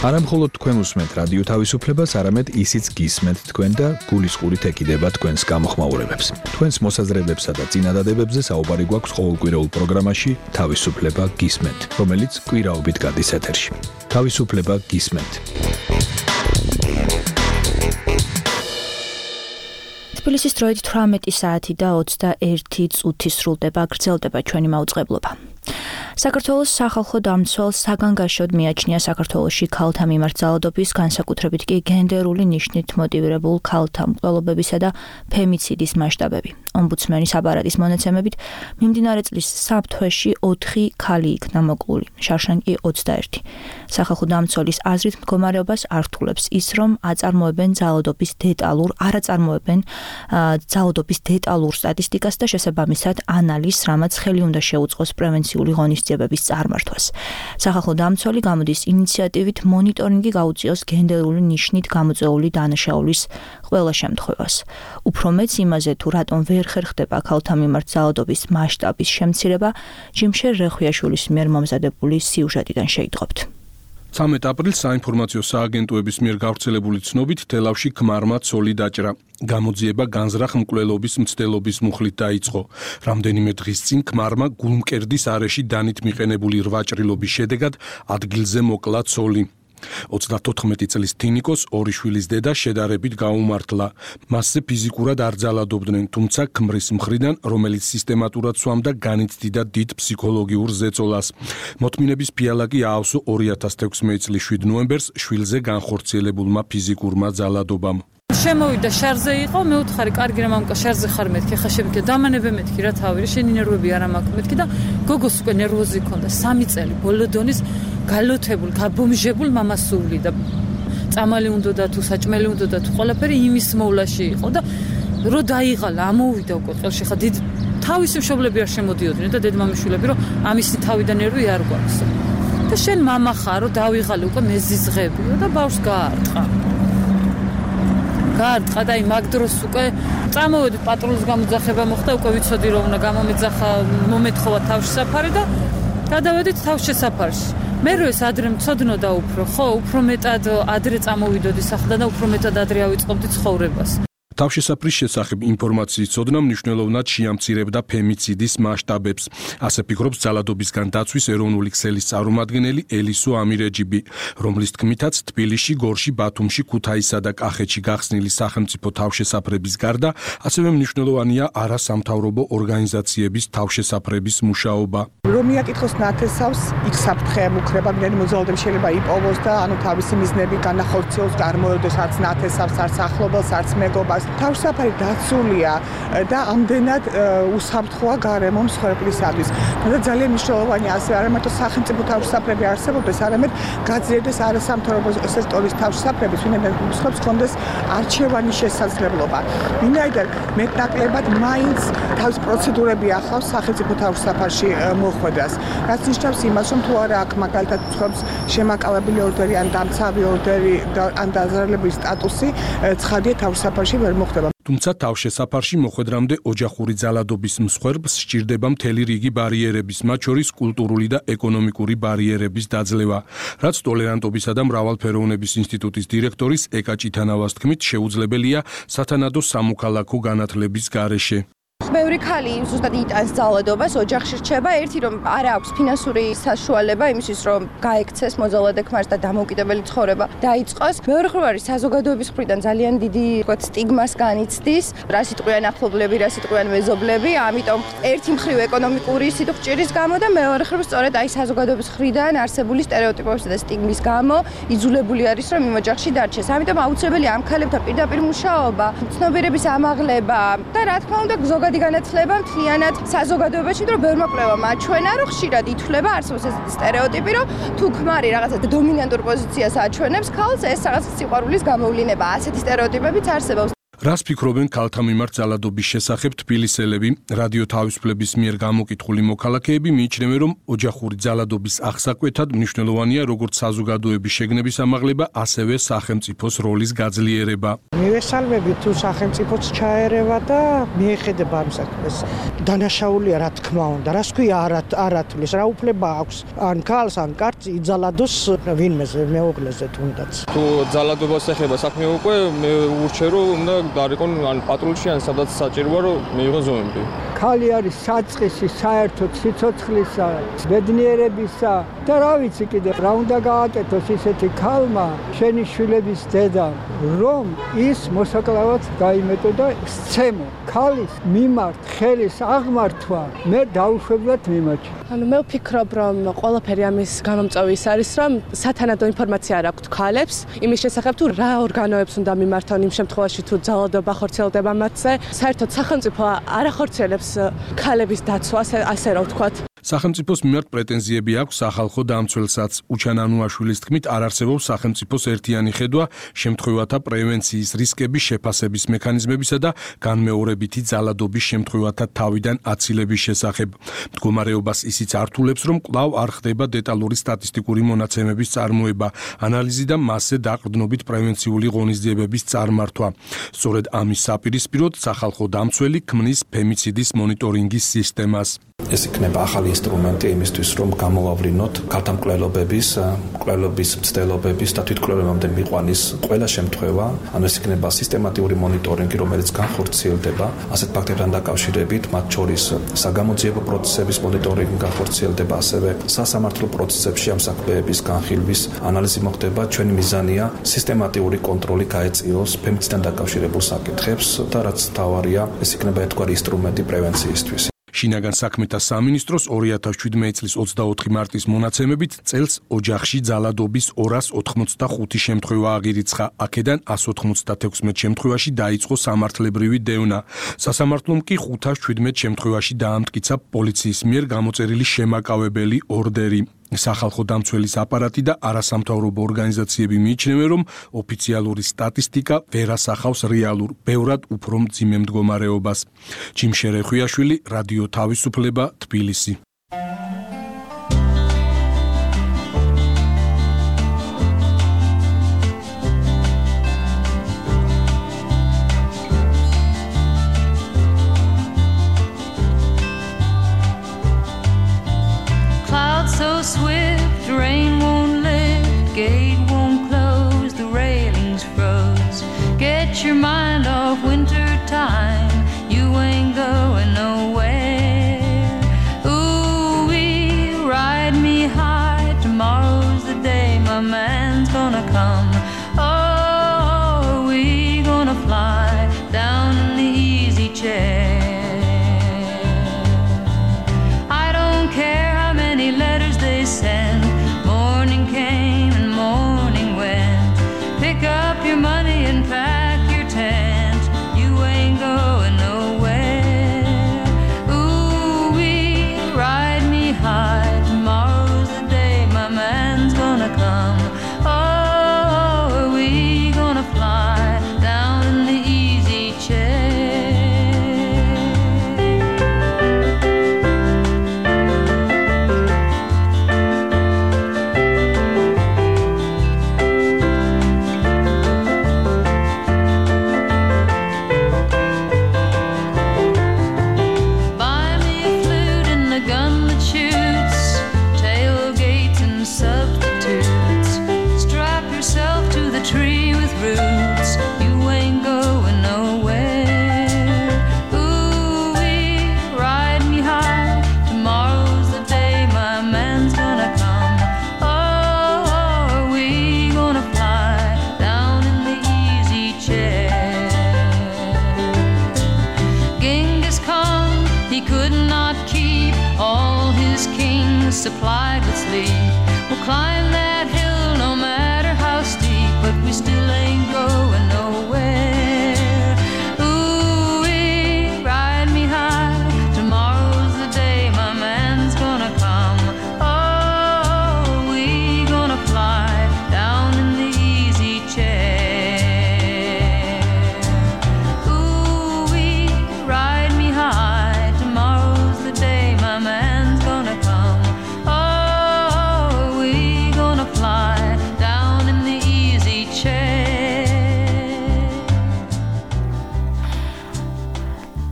არა მხოლოდ თქვენ უსმენთ რადიო თავისუფლებას, არამედ ისიც გისმენთ თქვენ და გულისყურით ეკიდება თქვენს გამოხმაურებებს. თქვენს მოსაზრებებსა და წინადადებებზე საუბარი გვაქვს ყოველკვირეულ პროგრამაში თავისუფლება გისმენთ, რომელიც კვირაობით გადის ეთერში. თავისუფლება გისმენთ. თბილისის დროით 18 საათი და 21 წუთი სრულდება, გრძელდება ჩვენი მაუწყებლობა. საქართველოს სახალხო დამცველს საგანგაშოდ მიაჩნია საქართველოში ქალთა მიმართ ძალადობის, განსაკუთრებით კი გენდერული ნიშნით მოტივირებულ ქალთა მკვლელობებისა და ფემიციდის მასშტაბები. ომბუდსმენის აპარატის მონაცემებით, მიმდინარე წლის საფრთხეში 4 ქალი იქნა მოკლული, შარშან კი 21. სახალხო დამცველის აზრით მდგომარეობას არ რთულებს ის, რომ აწარმოებენ ძალადობის დეტალურ სტატისტიკას და შესაბამისად ანალიზს, რამაც ხელი უნდა შეუწყოს პრევენციული ღონისძიებების წარმართვას. სახალხო დამცველი გამოდის ინიციატივით მონიტორინგი გაუწიოს გენდერული ნიშნით გამოწვეული დანაშაულის ყველა შემთხვევას. უფრო მეც იმაზე, თუ რატომ ვერ ხერხდება ქალთა მიმართ ძალადობის მასშტაბის შემცირება, ჯიმშერ რეხვიაშვილის მიერ მომზადებული სიუჟეტიდან შეიტყობთ. 13 აპრილს საინფორმაციო სააგენტოების მიერ გავრცელებული ცნობით თელავში ქმარმა ცოლი დაჭრა. გამოძიება განზრახ მკვლელობის მცდელობის მუხლით დაიწყო. რამდენიმე დღის წინ ქმარმა გულმკერდის არეში დანით მიყენებული რვაჭრილობის შედეგად ადგილზე მოკლა ცოლი. 34 წლის თინიკოს ორი შვილის დედა შედარებით გაუმართლა. მასზე ფიზიკურად არ ძალადობდნენ, თუმცა ქმრის მხრიდან, რომელიც სისტემატურად სვამდა, განიცდიდა დიდ ფსიქოლოგიურ ზეწოლას. მოთმინების ფიალა კი აავსო 2016 წლის 7 ნოემბერს შვილზე განხორციელებულმა ფიზიკურმა ძალადობამ. შემოვიდა შარზე იყო, მე უთხარი, კარგი რა მამკა შარზე ხარ მეთქი, ხა შემიქე დამანებე მეთქი რა თავი, შენი ნერვები არ მაქვს მეთქი და გოგოს უკვე ნერვოზი ქონდა 3 წელი ბოლო დონის გალოთებულ, გაბომჟებულ მამას სული და წამალი უნდოდა თუ საჭმელი უნდოდა თუ ყველაფერი იმის მოვლაში იყო და რო დაიღალა, ამოვიდა უკვე ყელში ხა დიდ თავისი მშობლები არ შემოდიოდნენ და დედმამიშვილები რომ ამისი თავი და ნერვი არ გვაქვს. და შენ მამა ხარო, დავიღალე უკვე მეზიზღებიო და ბავშვს გაარტყა. გაარტყა და იმ მაგ დროს უკვე წამოვედი პატრულის გამოძახება მოხდა, უკვე ვიცოდი რომ უნდა გამომეძახა, მომეთხოვა თავშესაფარი და გადავედით თავშესაფარში. მე რო ეს ადრე მწოდნოდა უფრო მეტად ადრე წამოვიდოდი სახლიდან და უფრო მეტად ადრე ავიწყობდი ცხოვრებას. თავშესაფრის შესახებ ინფორმაციის ცოდნა მნიშვნელოვნად შეამცირებდა ფემიციდის მასშტაბებს. ასე ფიქრობს ძალადობისგან დაცვის ეროვნული ქსელის წარმომადგენელი ელისო ამირეჯიბი, რომლის თქმითაც თბილისში, გორში, ბათუმში, ქუთაისსა და კახეთში გახსნილი სახელმწიფო თავშესაფრების გარდა, ასევე მნიშვნელოვანია არასამთავრობო ორგანიზაციების თავშესაფრების მუშაობა. რომ მიაკითხოს ნათესავს, იქ საფრთხე ემუქრება, მგელი მოძალადები შეიძლება იპოვოს და თავისი მიზნები განახორციელოს, წარმოედეს არც ნათესავს, არც ახლობელს, არც მეგობას. თავშესაფარი დაცულია და ამდენად უსაფრთხოა გარემო მსხვერპლისათვის. და ძალიან მნიშვნელოვანია ასე არა მარტო სახელმწიფო თავშესაფრები არსებობდეს, არამედ გაძლიერდეს არასამთავრობო სექტორის თავშესაფრები, ვინაიდან მსხვერპლს ჰქონდეს არჩევანის შესაძლებლობა. ვინაიდან მეტნაკლებად მაინც თავის პროცედურები ახლავს სახელმწიფო თავშესაფარში მოხვედრას. რაც ნიშნავს იმას, რომ თუ არა აქ მაგალითად მსხვერპლს შემაკავებელი ორდერი ან დამცავი ორდერი ან დაზარალების სტატუსი, ცხადია თავშესაფარში ვერ მოხდება. თუმცა თავშესაფარში მოხვედრამდე ოჯახური ძალადობის მსხვერპლს სჭირდება მთელი რიგი ბარიერების, მათ შორის კულტურული და ეკონომიკური ბარიერების დაძლევა, რაც ტოლერანტობისა და მრავალფეროვნების ინსტიტუტის დირექტორის ეკა ჭითანავას თქმით შეუძლებელია სათანადო სამოქალაქო განათლების გარეშე. ბევრი ქალი ზუსტად იტანს ძალადობას, ოჯახში რჩება, ერთი რომ არ აქვს ფინანსური საშუალება იმისთვის, რომ გაექცეს მოძალადე ქმარს და დამოუკიდებელი ცხოვრება დაიწყოს. მეორე მხრივ არის საზოგადოების მხრიდან ძალიან დიდი, ვთქვათ, სტიგმას განიცდის, რა სიტყვიან ახლობლები, რა სიტყვიან მეზობლები, ამიტომ ერთი მხრივ ეკონომიკური სიტყვჭირის გამო და მეორე მხრივ სწორედ აი საზოგადოების მხრიდან არსებული სტერეოტიპებისა და სტიგმის გამო იძულებული არის რომ იმ ოჯახში დარჩეს. ამიტომ აუცილებელია ამ ქალებთან პირდაპირ მუშაობა, ცნობიერების ამაღლება და რა თქმა უნდა ზოგადი განათლება მთლიანად საზოგადოებაში, რომ ბევრმა კვლევამ აჩვენა, რომ ხშირად ითვლება არსებობს ეს სტერეოტიპი, რომ თუ ქმარი რაღაცა დომინანტურ პოზიციას აჩვენებს ქალს, ეს რაღაც სიყვარულის გამოვლენა. ასეთი სტერეოტიპებიც არსებობს. რას ფიქრობენ ქალთა მიმართ ძალადობის შესახებ თბილისელები? რადიო თავისუფლების მიერ გამოკითხული მოქალაქეები მიიჩნევენ, რომ ოჯახური ძალადობის აღსაკვეთად მნიშვნელოვანია როგორც საზოგადოების შეგნების ამაღლება, ასევე სახელმწიფოს როლის გაძლიერება. მივესალმები თუ სახელმწიფოც ჩაერევა და მიეხედება ამ საქმეს. დანაშაულია რა თქმა უნდა, რას ქვია არათulis, რა უფლება აქვს ან ქალს ან კაცს იძალადოს ვინმეზე, მეუღლეზე თუნდაც. თუ ძალადობას ეხება საქმე უკვე მე ურჩე რომ უნდა გარიყონ ან პატრულში ან სადაც საჭიროა რომ მიიღოს ზომები. ქალი არის საწყისი საერთოდ სიცოცხლისა, ბედნიერებისა და რა ვიცი კიდე რა უნდა გააკეთოს ისეთი ქალმა, შენი შვილების დედა, რომ ის მოსაკლავად გაიმეტო და სცემო ქალის მიმართ ხელის აღმართვა მე დაუშვებლად მიმაჩნია. მე ვფიქრობ, რომ ყველაფერი ამის გამომწვევი ის არის, რომ სათანადო ინფორმაცია არ აქვთ ქალებს იმის შესახებ თუ რა ორგანოებს უნდა მიმართონ იმ შემთხვევაში თუ ძალადობა ხორციელდება მათზე. საერთოდ სახელმწიფო არ ახორციელებს ქალების დაცვას, ასე რა ვთქვათ. სახელმწიფოს მიმართ პრეტენზიები აქვს სახალხო დამცველსაც. უჩან ანუაშვილის თქმით, არ არსებობს სახელმწიფოს ერთიანი ხედვა შემთხვევათა პრევენციის, რისკების შეფასების მექანიზმებისა და განმეორებითი ძალადობის შემთხვევათა თავიდან აცილების შესახებ. მდგომარეობას ისიც ართულებს, რომ კვლავ არ ხდება დეტალური სტატისტიკური მონაცემების წარმოება, ანალიზი და მასზე დაყრდნობით პრევენციული ღონისძიებების წარმართვა. სწორედ ამის საპირისპიროდ სახალხო დამცველი ქმნის ფემიციდის მონიტორინგის სისტემას. ეს იქნება ახალი ინსტრუმენტი იმისთვის, რომ გამოვავლინოთ ქალთა მკვლელობების, მკვლელობის მცდელობების და თვითმკვლელობამდე მიყვანის ყველა შემთხვევა. ანუ ეს იქნება სისტემატიური მონიტორინგი, რომელიც განხორციელდება ასეთ ფაქტებთან დაკავშირებით, მათ შორის საგამოძიებო პროცესების მონიტორინგი განხორციელდება, ასევე სასამართლო პროცესებში ამ საქმეების განხილვის ანალიზი მოხდება. ჩვენი მიზანია სისტემატიური კონტროლი გაეწიოს ფემიციდთან დაკავშირებულ საკითხებს და რაც მთავარია, ეს იქნება ერთგვარი ინსტრუმენტი პრევენციისთვის. შინაგან საქმეთა სამინისტროს 2017 წლის 24 მარტის მონაცემებით წელს ოჯახში ძალადობის 285 შემთხვევა აღირიცხა. აქედან 196 შემთხვევაში დაიწყო სამართლებრივი დევნა. სასამართლომ კი 517 შემთხვევაში დაამტკიცა პოლიციის მიერ გამოწერილი შემაკავებელი ორდერი. სახალხო დამცველის აპარატი და არასამთავრობო ორგანიზაციები მიიჩნევენ, რომ ოფიციალური სტატისტიკა ვერ ასახავს რეალურ, ბევრად უფრო მძიმე მდგომარეობას. ჯიმ შერეხვიაშვილი, რადიო თავისუფლება, თბილისი. So swift, rain won't lift, gate won't close, the railings froze. Get your mind off winter time, you ain't going nowhere. Ooh, ride me high, tomorrow's the day my man's gonna come. Oh, we gonna fly down in the easy chair. I don't care how many letters they send, more supplied with sleep. We'll climb that hill no matter how steep, but we still ain't going nowhere. Ooh-wee, ride me high. Tomorrow's the day my man's gonna come. Oh, we gonna fly down in the easy chair. Ooh-wee, ride me high. Tomorrow's the day my man's gonna come. Oh, we gonna fly down in the easy chair.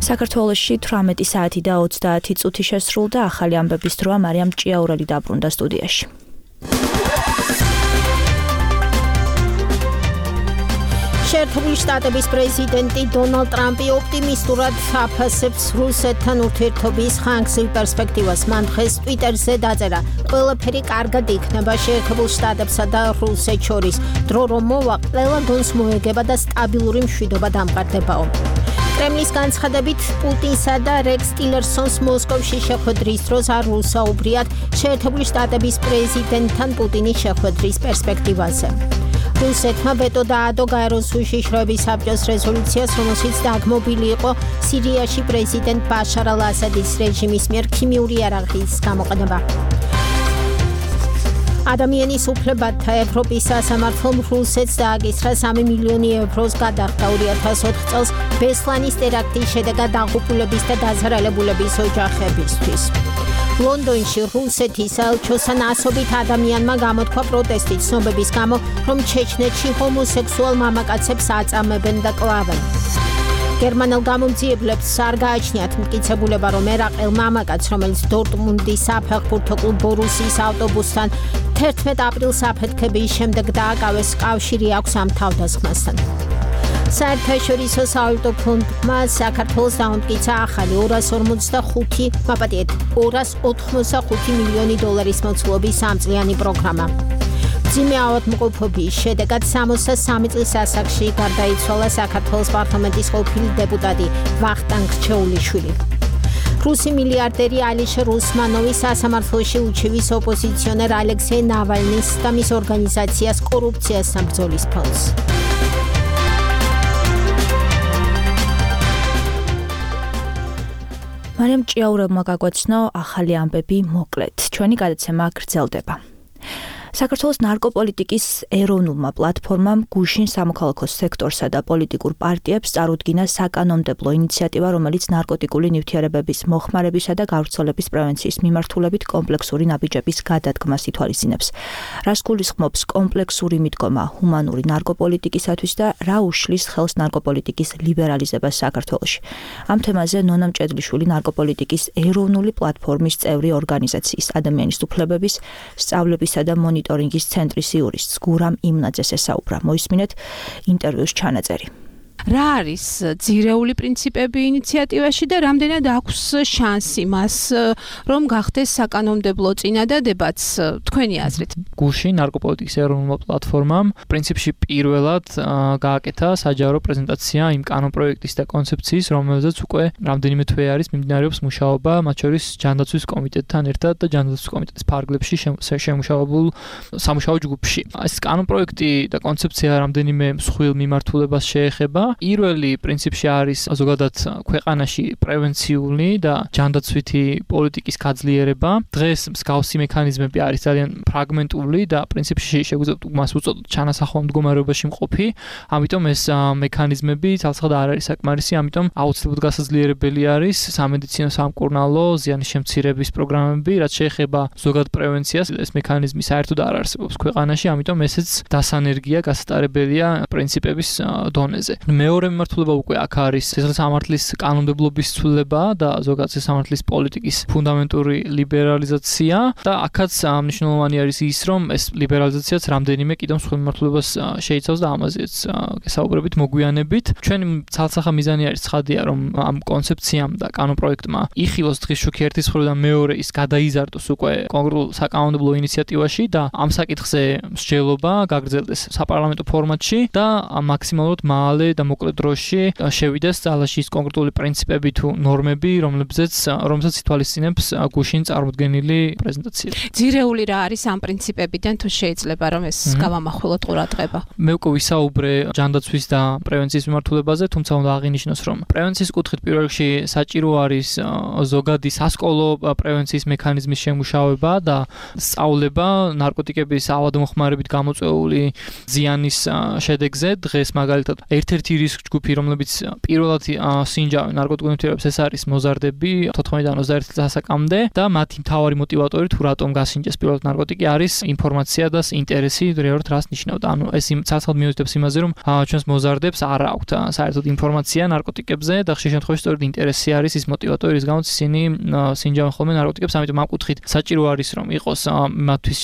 საქართველოში 18 საათი და 30 წუთი შესრულდა ახალი ამბების დროა მარიამ ჭიაურელი დაბრუნდა სტუდიაში. შეერთებული შტატების პრეზიდენტი დონალდ ტრამპი ოპტიმისტურად აფასებს რუსეთთან ურთიერთობის ხანგრძლივ პერსპექტივას. მან დღეს ტვიტერზე დაწერა: ყველაფერი კარგად იქნება შეერთებულ შტატებსა და რუსეთს შორის. დრო რომ მოვა, ყველა გონს მოეგება და სტაბილური მშვიდობა დამყარდებაო. კრემლის განცხადებით, პუტინსა და რექს ტილერსონს მოსკოვში შეხვედრის დროს არ უსაუბრიათ შეერთებული შტატების პრეზიდენტთან პუტინის შეხვედრის პერსპექტივაზე. რუსეთმა ვეტო დაადო გაეროს უშიშროების საბჭოს რეზოლუციას, რომელშიც დაგმობილი იყო სირიაში პრეზიდენტ ბაშარ ალ-ასადის რეჟიმის მიერ ქიმიური იარაღის გამოყენება. ადამიანის უფლებათა ევროპის სასამართლომ რუსეთს დააკისრა 3 მილიონი ევროს გადახდა 2004 წელს ბესლანის ტერაქტის შედეგად დაღუპულების და დაზარალებულების ოჯახებისთვის. ლონდონში რუსეთის საელჩოსთან ასობით ადამიანმა გამოთქვა პროტესტი ცნობების გამო, რომ ჩეჩნეთში ჰომოსექსუალ მამაკაცებს აწამებენ და კლავენ. გერმანელ გამომძიებლებს არ გააჩნიათ მტკიცებულება, რომ ერაყელ მამაკაცს, რომელიც დორტმუნდის საფეხბურთო კლუბ ბორუსიის ავტობუსთან 11 აპრილს აფეთქების შემდეგ დააკავეს, კავშირი აქვს ამ თავდასხმასთან. საერთაშორისო სავალუტო ფონდმა საქართველოს დაამტკიცა ახალი 285 მილიონი დოლარის მოცულობის სამწლიანი პროგრამა. მძიმე ავადმყოფობის შედეგად 63 წლის ასაკში გარდაიცვალა საქართველოს პარლამენტის ყოფილი დეპუტატი ვახტანგ რჩეულიშვილი. რუსი მილიარდერი ალიშერ უსმანოვი სასამართლოში უჩივის ოპოზიციონერ ალექსეი ნავალნის და მის ორგანიზაციას კორუფციასთან ბრძოლის ფონდს. მარიამ ჭიაურელმა გაგვაცნო ახალი ამბები მოკლედ. ჩვენი გადაცემა გრძელდება. საქართველოს ნარკოპოლიტიკის ეროვნულმა პლატფორმამ გუშინ სამოქალაქო სექტორსა და პოლიტიკურ პარტიებს წარუდგინა საკანონმდებლო ინიციატივა, რომელიც ნარკოტიკული ნივთიერებების მოხმარებისა და გავრცელების პრევენციის მიმართულებით კომპლექსური ნაბიჯების გადადგმას ითვალისწინებს. რას გულისხმობს კომპლექსური მიდგომა ჰუმანური ნარკოპოლიტიკისათვის და რა უშლის ხელს ნარკოპოლიტიკის ლიბერალიზებას საქართველოში. ამ თემაზე ნონა მჭედლიშვილი ნარკოპოლიტიკის ეროვნული პლატფორმის წევრი ორგანიზაციის ადამიანის უფლებების, სწავლებისა და მონიტორინგის ცენტრის იურისტს გურამ იმნაძეს ესაუბრა. მოისმინეთ ინტერვიუს ჩანაწერი. რა არის ძირეული პრინციპები ინიციატივაში და რამდენად აქვს შანსი მას, რომ გახდეს საკანონმდებლო წინადადებაც თქვენი აზრით? გუშინ ნარკოპოლიტიკის ეროვნულმა პლატფორმამ პრინციპში პირველად გააკეთა საჯარო პრეზენტაცია იმ კანონპროექტის და კონცეფციის, რომელზეც უკვე რამდენიმე თვე არის მიმდინარეობს მუშაობა, მათ შორის ჯანდაცვის კომიტეტთან ერთად და ჯანდაცვის კომიტეტის ფარგლებში შემუშავებულ სამუშაო ჯგუფში. ეს კანონპროექტი და კონცეფცია რამდენიმე მსხვილ მიმართულებას შეეხება. პირველი პრინციპში არის ზოგადად ქვეყანაში პრევენციული და ჯანდაცვითი პოლიტიკის გაძლიერება. დღეს მსგავსი მექანიზმები არის ძალიან ფრაგმენტული და პრინციპში შეგვიძლია მას უწოდოთ ჩანასახვალ მდგომარეობაში მყოფი. ამიტომ ეს მექანიზმები ცალსახად არ არის საკმარისი, ამიტომ აუცილებლად გასაძლიერებელი არის სამედიცინო სამკურნალო ზიანის შემცირების პროგრამები, რაც შეეხება ზოგადად პრევენციას. ეს მექანიზმი საერთოდ არ არსებობს ქვეყანაში, ამიტომ ესეც დასანერგია, გასატარებელია პრინციპების დონეზე. მეორე მიმართულება უკვე აქ არის სამართლის კანონმდებლობის ცვლილება და ზოგადად სამართლის პოლიტიკის ფუნდამენტური ლიბერალიზაცია და აქაც მნიშვნელოვანი არის ის, რომ ეს ლიბერალიზაციაც რამდენიმე კიდევ მსხვილ მიმართულებას შეიცავს და ამაზეც გესაუბრებით მოგვიანებით. ჩვენი ცალსახა მიზანი არის ცხადია, რომ ამ კონცეფციამ და კანონპროექტმა იხილოს დღის შუქი ერთის მხრიდან მეორე ის გადაიზარდოს უკვე კონკრეტულ საკანონმდებლო ინიციატივაში და ამ საკითხზე მსჯელობა გაგრძელდეს საპარლამენტო ფორმატში და მაქსიმალურად მალე და მოკლე დროში შევიდეს ძალაში ის კონკრეტული პრინციპები თუ ნორმები, რომლებზეც ითვალისწინებს გუშინ წარმოდგენილი პრეზენტაცია. ძირეული რა არის ამ პრინციპებიდან თუ შეიძლება რომ ეს გავამახვილოთ ყურადღება? მე უკვე ვისაუბრე ჯანდაცვის და პრევენციის მიმართულებაზე, თუმცა უნდა აღინიშნოს, რომ პრევენციის კუთხით პირველ რიგში საჭირო არის ზოგადი სასკოლო პრევენციის მექანიზმის შემუშავება და სწავლება ნარკოტიკების ავადმოხმარებით გამოწვეული ზიანის შედეგზე. დღეს მაგალითად ერთ-ერთი რისკ ჯგუფი, რომლებიც პირველად სინჯავენ ნარკოტიკულ ნივთიერებებს, ეს არის მოზარდები 14-დან 21 წლისაკამდე და მათი მთავარი мотиваტორი თუ რატომ გასინჯეს პირველად ნარკოტიკი არის ინფორმაცია და ინტერესი, რეალურად რას ნიშნავდა. ანუ ეს ცალკეულად მიუთითებს იმაზე, რომ ჩვენს მოზარდებს არ აქვთ საერთოდ ინფორმაცია ნარკოტიკებზე და ხშირ შემთხვევაში სწორედ ინტერესი არის ის мотиваტორი, რის გამოც ისინი სინჯავენ ხოლმე ნარკოტიკებს. ამიტომ ამ კუთხით საჭირო არის, რომ იყოს მათთვის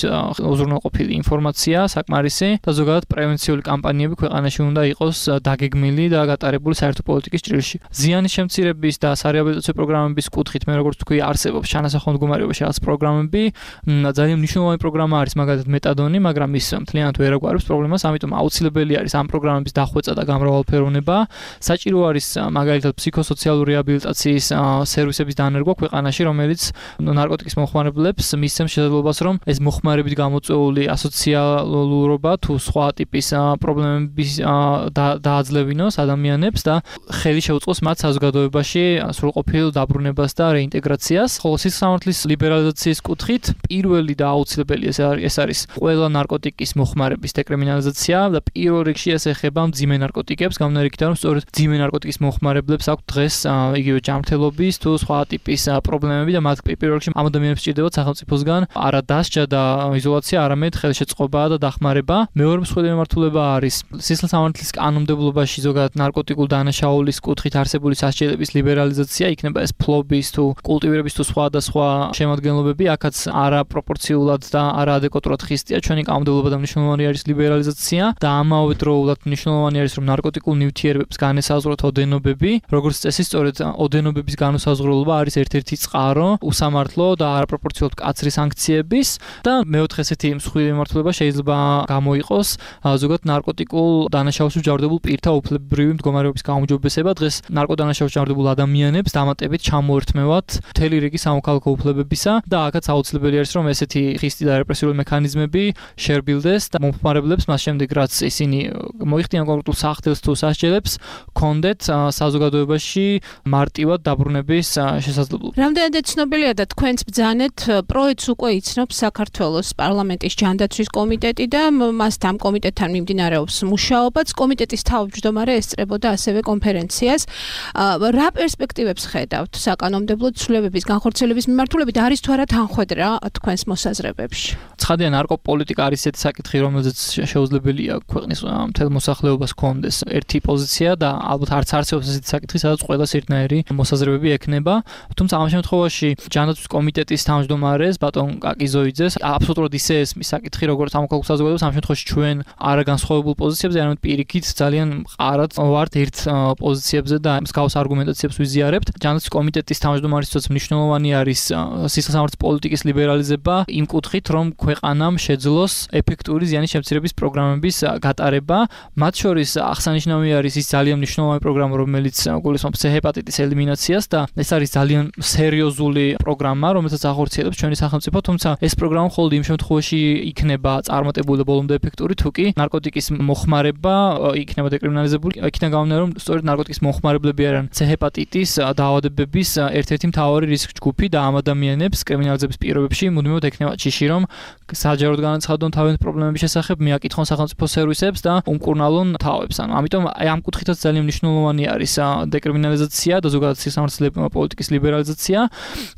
უზრუნველყოფილი ინფორმაცია საკმარისი და ზოგადად პრევენციული კამპანიები ქვეყანაში უნდა იყოს დაგეგმილი და გატარებული საერთო პოლიტიკის ჭრილში. ზიანის შემცირების და სარეაბილიტაციო პროგრამების კუთხით მე როგორც თქვი, არსებობს ჩანასახო მდგომარეობაში რაღაც პროგრამები. ძალიან მნიშვნელოვანი პროგრამა არის მაგალითად მეტადონი, მაგრამ ის მთლიანად ვერ აგვარებს პრობლემას, ამიტომ აუცილებელი არის ამ პროგრამების დახვეწა და გამრავალფეროვნება. საჭირო არის მაგალითად ფსიქოსოციალური რეაბილიტაციის სერვისების დანერგვა ქვეყანაში, რომელიც ნარკოტიკის მომხმარებლებს მისცემს შესაძლებლობას, რომ ეს მოხმარებით გამოწვეული ასოციალურობა თუ სხვა ტიპის პრობლემების დააძლევინოს ადამიანებს და ხელი შეუწყოს მათ საზოგადოებაში სრულყოფილ დაბრუნებას და რეინტეგრაციას. ხოლო სისხლსამართლის ლიბერალიზაციის კუთხით პირველი და აუცილებელი ეს არის ყველა ნარკოტიკის მოხმარების დეკრიმინალიზაცია და პირველ რიგში ეს ეხება მძიმე ნარკოტიკებს, გამონარიგებიდან რომ სწორედ მძიმე ნარკოტიკის მოხმარებლებს აქვთ დღეს იგივე ჯანმრთელობის თუ სხვა ტიპის პრობლემები და მათ პირველ რიგში ამ ადამიანებს სჭირდებათ სახელმწიფოსგან არა დასჯა და იზოლაცია, არამედ ხელშეწყობა და დახმარება. მეორე მსხვილი მიმართულება არის სისხლსამართლის კანონმდებლობაში ზოგადად ნარკოტიკულ დანაშაულის კუთხით არსებული სასჯელების ლიბერალიზაცია, იქნება ეს ფლობის თუ კულტივირების თუ სხვა შემადგენლობები, აქაც არაპროპორციულად და არაადეკვატურად ხისტია ჩვენი კანონმდებლობა და მნიშვნელოვანი არის ლიბერალიზაცია და ამავე დროულად მნიშვნელოვანი არის რომ ნარკოტიკულ ნივთიერებებს განესაზღვროთ ოდენობები, როგორც წესი სწორედ ოდენობების განუსაზღვრულობა არის ერთ-ერთი წყარო უსამართლო და არაპროპორციულად მკაცრი სანქციების და მეოთხე ესეთი მსხვილი მიმართულება შეიძლება გამოიყოს ზოგადად ნარკოტიკულ დანაშაულში მჯავრდებულ პირთა უფლებრივი მდგომარეობის გაუმჯობესება. დღეს ნარკოდანაშაულში მჯავრდებულ ადამიანებს დამატებით ჩამოერთმევათ მთელი რიგი სამოქალაქო უფლებებისა და აქაც აუცილებელი არის რომ ესეთი ხისტი და რეპრესიული მექანიზმები შერბილდეს და მომხმარებლებს მას შემდეგ რაც ისინი მოიხდიან კონკრეტულ სახთელს თუ სასჯელებს კონდეთ საზოგადოებაში მარტივად დაბრუნების შესაძლებლობა. რამდენადაც ცნობილია და თქვენც ბძანეთ პროექტს უკვე იცნობს საქართველოს პარლამენტის ჯანდაცვის კომიტეტი და მასთან კომიტეტთან მიმდინარეობს მუშაობაც. კომიტეტის თავმჯდომარე ესწრებოდა ასევე კონფერენციას. რა პერსპექტივებს ხედავთ საკანონმდებლო ცვლილებების განხორციელების მიმართულებით, არის თუ არა თანხვედრა თქვენს მოსაზრებებში? ცხადია ნარკოპოლიტიკა არის ესეთი საკითხი, რომელზეც შეუძლებელია ქვეყნის მთელ მოსახლეობას ჰქონდეს ერთი პოზიცია და ალბათ არც არსებობს ესეთი საკითხი, სადაც ყველას ერთნაირი მოსაზრებები ექნება. თუმცა ამ შემთხვევაში ჯანდაცვის კომიტეტის თავმჯდომარეს ბატონ კაკიზოიძეს აბსოლუტურად ისე ესმის საკითხი, როგორც სამოქალაქო საზოგადოებას, ამ შემთხვევაში ჩვენ არაგანსხვავებულ პოზიციებზე, არამედ პირიქით ძალიან მყარად ვართ ერთ პოზიციებზე და მსგავს არგუმენტაციებს ვიზიარებთ. ჯანდაცვის კომიტეტის თავმჯდომარისთვის მნიშვნელოვანი არის სისხლსამართლის პოლიტიკის ლიბერალიზება იმ კუთხით, რომ ქვეყანამ შეძლოს ეფექტური ზიანის შემცირების პროგრამების გატარება. მათ შორის აღსანიშნავი არის ის ძალიან მნიშვნელოვანი პროგრამა, რომელიც გულისხმობს ჰეპატიტის ელიმინაციას და ეს არის ძალიან სერიოზული პროგრამა, რომელსაც ახორციელებს ჩვენი სახელმწიფო, თუმცა ეს პროგრამა მხოლოდ იმ შემთხვევაში იქნება წარმატებული და ბოლომდე ეფექტური, თუ კი ნარკოტიკის მოხმარება იქნება დეკრიმინალიზებული. იქიდან გამომდინარე, რომ სწორედ ნარკოტიკის მოხმარებლები არიან ჰეპატიტის დაავადებების ერთ-ერთი მთავარი რისკ ჯგუფი და ამ ადამიანებს კრიმინალიზების პირობებში მუდმივად ექნება ჭიში, რომ საჯაროდ განაცხადონ თავიანთ პრობლემების შესახებ, მიაკითხონ სახელმწიფო სერვისებს და უმკურნალონ თავებს. ანუ ამიტომ ამ კუთხითაც ძალიან მნიშვნელოვანი არის დეკრიმინალიზაცია და ზოგადად სისხლსამართლის პოლიტიკის ლიბერალიზაცია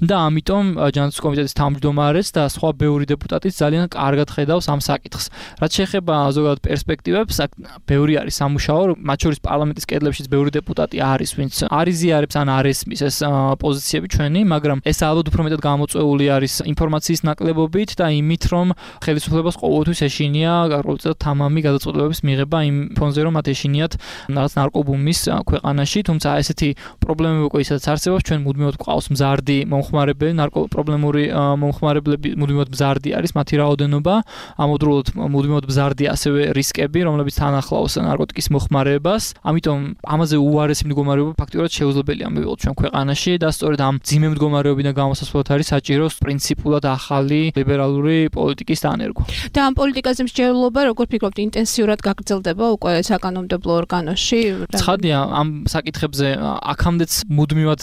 და ამიტომ ჯანდაცვის კომიტეტის თავმჯდომარეს და სხვა ბევრი დეპუტატიც ძალიან კარგად ხედავს ამ საკითხს. რაც შეეხება ზოგადად პერსპექტივებს, აქ ბევრი არის სამუშაო, მათ შორის პარლამენტის კედლებშიც ბევრი დეპუტატი არის, ვინც არ იზიარებს ან არ ესმის ეს პოზიციები ჩვენი, მაგრამ ეს ალბათ უფრო მეტად გამოწვეული არის ინფორმაციის ნაკლებობით და იმით, რომ ხელისუფლებას ყოველთვის ეშინია გარკვეულწილად თამამი გადაწყვეტილებების მიღება იმ ფონზე, რომ მათ ეშინიათ რაღაც ნარკობუმის ქვეყანაში, თუმცა ესეთი პრობლემები უკვე ისაც არსებობს, ჩვენ მუდმივად გვყავს მზარდი მომხმარებელი, ნარკოპრობლემური მომხმარებლები მუდმივად მზარდი არის მათი რაოდენობა, ამავდროულად მუდმივად მზარდი ასევე რისკები, რომლებიც თან ახლავს ნარკოტიკის მოხმარება მდგომარეობას, ამიტომ ამაზე უარესი მდგომარეობა ფაქტიურად შეუძლებელია მივიღოთ ჩვენ ქვეყანაში და სწორედ ამ ძიმე მდგომარეობიდან გამოსასვლელად არის საჭირო პრინციპულად ახალი ლიბერალური პოლიტიკის დანერგვა. და ამ პოლიტიკაზე მსჯელობა როგორ ფიქრობთ ინტენსიურად გაგრძელდება უკვე საკანონმდებლო ორგანოში? ცხადია ამ საკითხებზე აქამდეც მუდმივად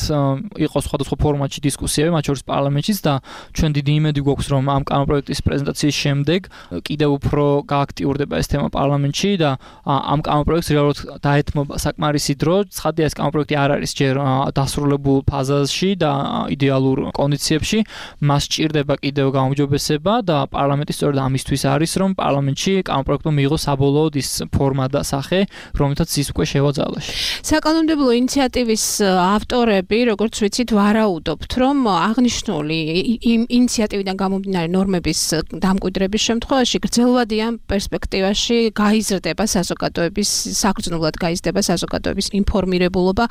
იყო სხვადასხვა ფორმატში დისკუსიები, მათ შორის პარლამენტშიც და ჩვენ დიდი იმედი გვაქვს რომ ამ კანონპროექტის პრეზენტაციის შემდეგ კიდევ უფრო გააქტიურდება ეს თემა პარლამენტში და ამ კანონპროექტს რეალურად დაეთმობა საკმარისი დრო. ცხადია ეს კანონპროექტი არ არის ჯერ დასრულებულ ფაზაში და იდეალურ კონდიციებში, მას სჭირდება კიდევ გაუმჯობესება და პარლამენტი სწორედ ამისთვის არის, რომ პარლამენტში კანონპროექტმა მიიღოს საბოლოოდ ის ფორმა და სახე, რომელთაც ის უკვე შევაძალაში. საკანონმდებლო ინიციატივის ავტორები, როგორც ვიცით, ვარაუდობთ, რომ აღნიშნული იმ ინიციატივიდან გამომდინარე ნორმების დამკვიდრების შემთხვევაში გრძელვადიან პერსპექტივაში გაიზრდება საზოგადოების საგრძნობლად გაიზრდება საზოგადოების ინფორმირებულობა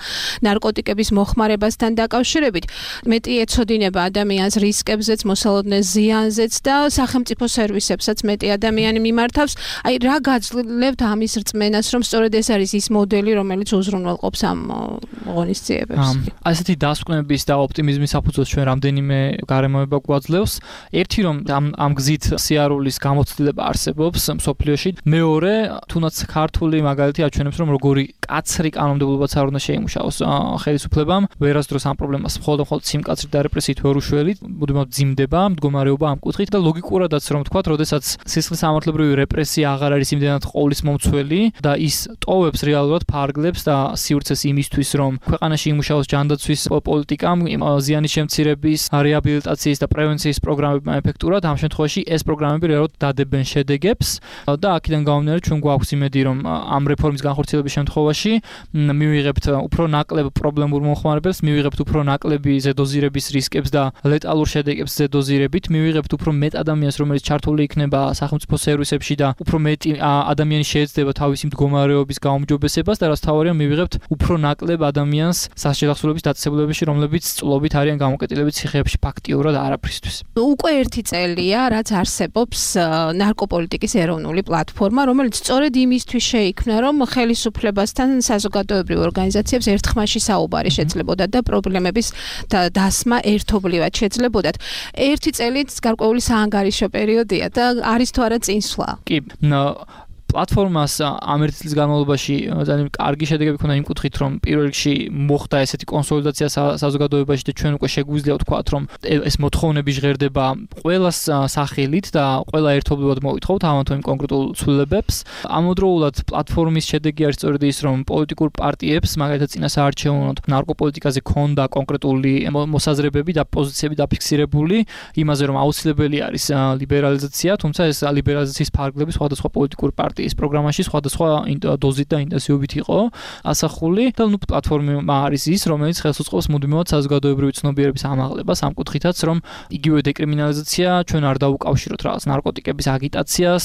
ნარკოტიკების მოხმარებასთან დაკავშირებით. მეტი ეცოდინება ადამიანს რისკებზეც, მოსალოდნელ ზიანზეც და სახელმწიფო სერვისებსაც მეტი ადამიანი მიმართავს. აი რა გაძლევთ ამის რწმენას, რომ სწორედ ეს არის ის მოდელი, რომელიც უზრუნველყოფს ამ ღონისძიებებს? ასეთი დასკვნების და ოპტიმიზმის საფუძველს ჩვენ რამდენიმე გარემოება გვაძლევს. ერთი რომ ამ გზით სიარულის გამოცდილება არსებობს მსოფლიოში. მეორე, თუნდაც ქართული მაგალითი აჩვენებს, რომ როგორი კაცრი კანონმდებლობაც არ უნდა შეიმუშაოს ხელისუფლებამ, ვერასდროს ამ პრობლემას მხოლოდ სიმკაცრით და რეპრესიით ვერ უშველით, მუდმივად მძიმდება მდგომარეობა ამ კუთხით და ლოგიკურადაც რომ ვთქვათ, როდესაც სისხლის სამართლებრივი რეპრესია აღარ არის იმდენად ყოლის მომცველი და ის ტოვებს რეალურად ფარგლებს და სივრცეს იმისთვის, რომ ქვეყანაში იმუშაოს ჯანდაცვის პოლიტიკამ, ზიანის შემცირების, რეაბილიტაციის და პრევენციის პროგრამებმა ეფექტურად, ამ შემთხვევაში ეს პროგრამები რეალურად დადებენ შედეგებს და აქედან გამომდინარე ჩვენ გვაქვს იმედი, რომ ამ რეფორმის განხორციელების შემთხვევაში მივიღებთ უფრო ნაკლებ პრობლემურ მოხმარებელს, მივიღებთ უფრო ნაკლები ზედოზირების რისკებს და ლეტალურ შედეგებს ზედოზირებით, მივიღებთ უფრო მეტ ადამიანს, რომელიც ჩართული იქნება სახელმწიფო სერვისებში და უფრო მეტი ადამიანი შეეცდება თავისი მდგომარეობის გაუმჯობესებას და რაც თავარია მივიღებთ უფრო ნაკლებ ადამიანს სასჯელახსოვრების დაწესებულებებში, რომლებიც წლობით არიან გამოკეტილებით ციხეებში ფაქტიურად არაფრისთვის. უკვე ერთი წელია, რაც არსებობს ნარკოპოლიტიკის ეროვნული პლატფორმა, რომელიც სწორედ იმისთვის შეიქმნა, რომ ხელისუფლებასთან საზოგადოებრივ ორგანიზაციებს ერთხმაში საუბარი შეძლებოდათ და პრობლემების დასმა ერთობლივად შეძლებოდათ. ერთი წელიც გარკვეული საანგარიშო პერიოდია და არის თუ არა წინსვლა? კი, პლატფორმას ამ ერთი წლის განმავლობაში ძალიან კარგი შედეგები ჰქონდა იმ კუთხით, რომ პირველ რიგში მოხდა ესეთი კონსოლიდაცია საზოგადოებაში და ჩვენ უკვე შეგვიძლია ვთქვათ, რომ ეს მოთხოვნები ჟღერდება ყველას სახელით და ყველა ერთობლივად მოვითხოვთ ამათ იმ კონკრეტულ ცვლილებებს. ამავდროულად პლატფორმის შედეგი არის სწორედ ის, რომ პოლიტიკურ პარტიებს, მაგალითად წინასაარჩევნოდ ნარკოპოლიტიკაზე ქონდა კონკრეტული მოსაზრებები და პოზიციები დაფიქსირებული იმაზე, რომ აუცილებელი არის ლიბერალიზაცია, თუმცა ეს ლიბერალიზაციის ფარგლები სხვადასხვა პოლიტიკურ პარტიებს ის პროგრამაში სხვადასხვა დოზით და ინტენსივობით იყო ასახული და პლატფორმა არის ის, რომელიც ხელს უწყობს მუდმივად საზოგადოებრივი ცნობიერების ამაღლებას ამ კუთხითაც, რომ იგივე დეკრიმინალიზაცია ჩვენ არ დაუკავშიროთ რაღაც ნარკოტიკების აგიტაციას,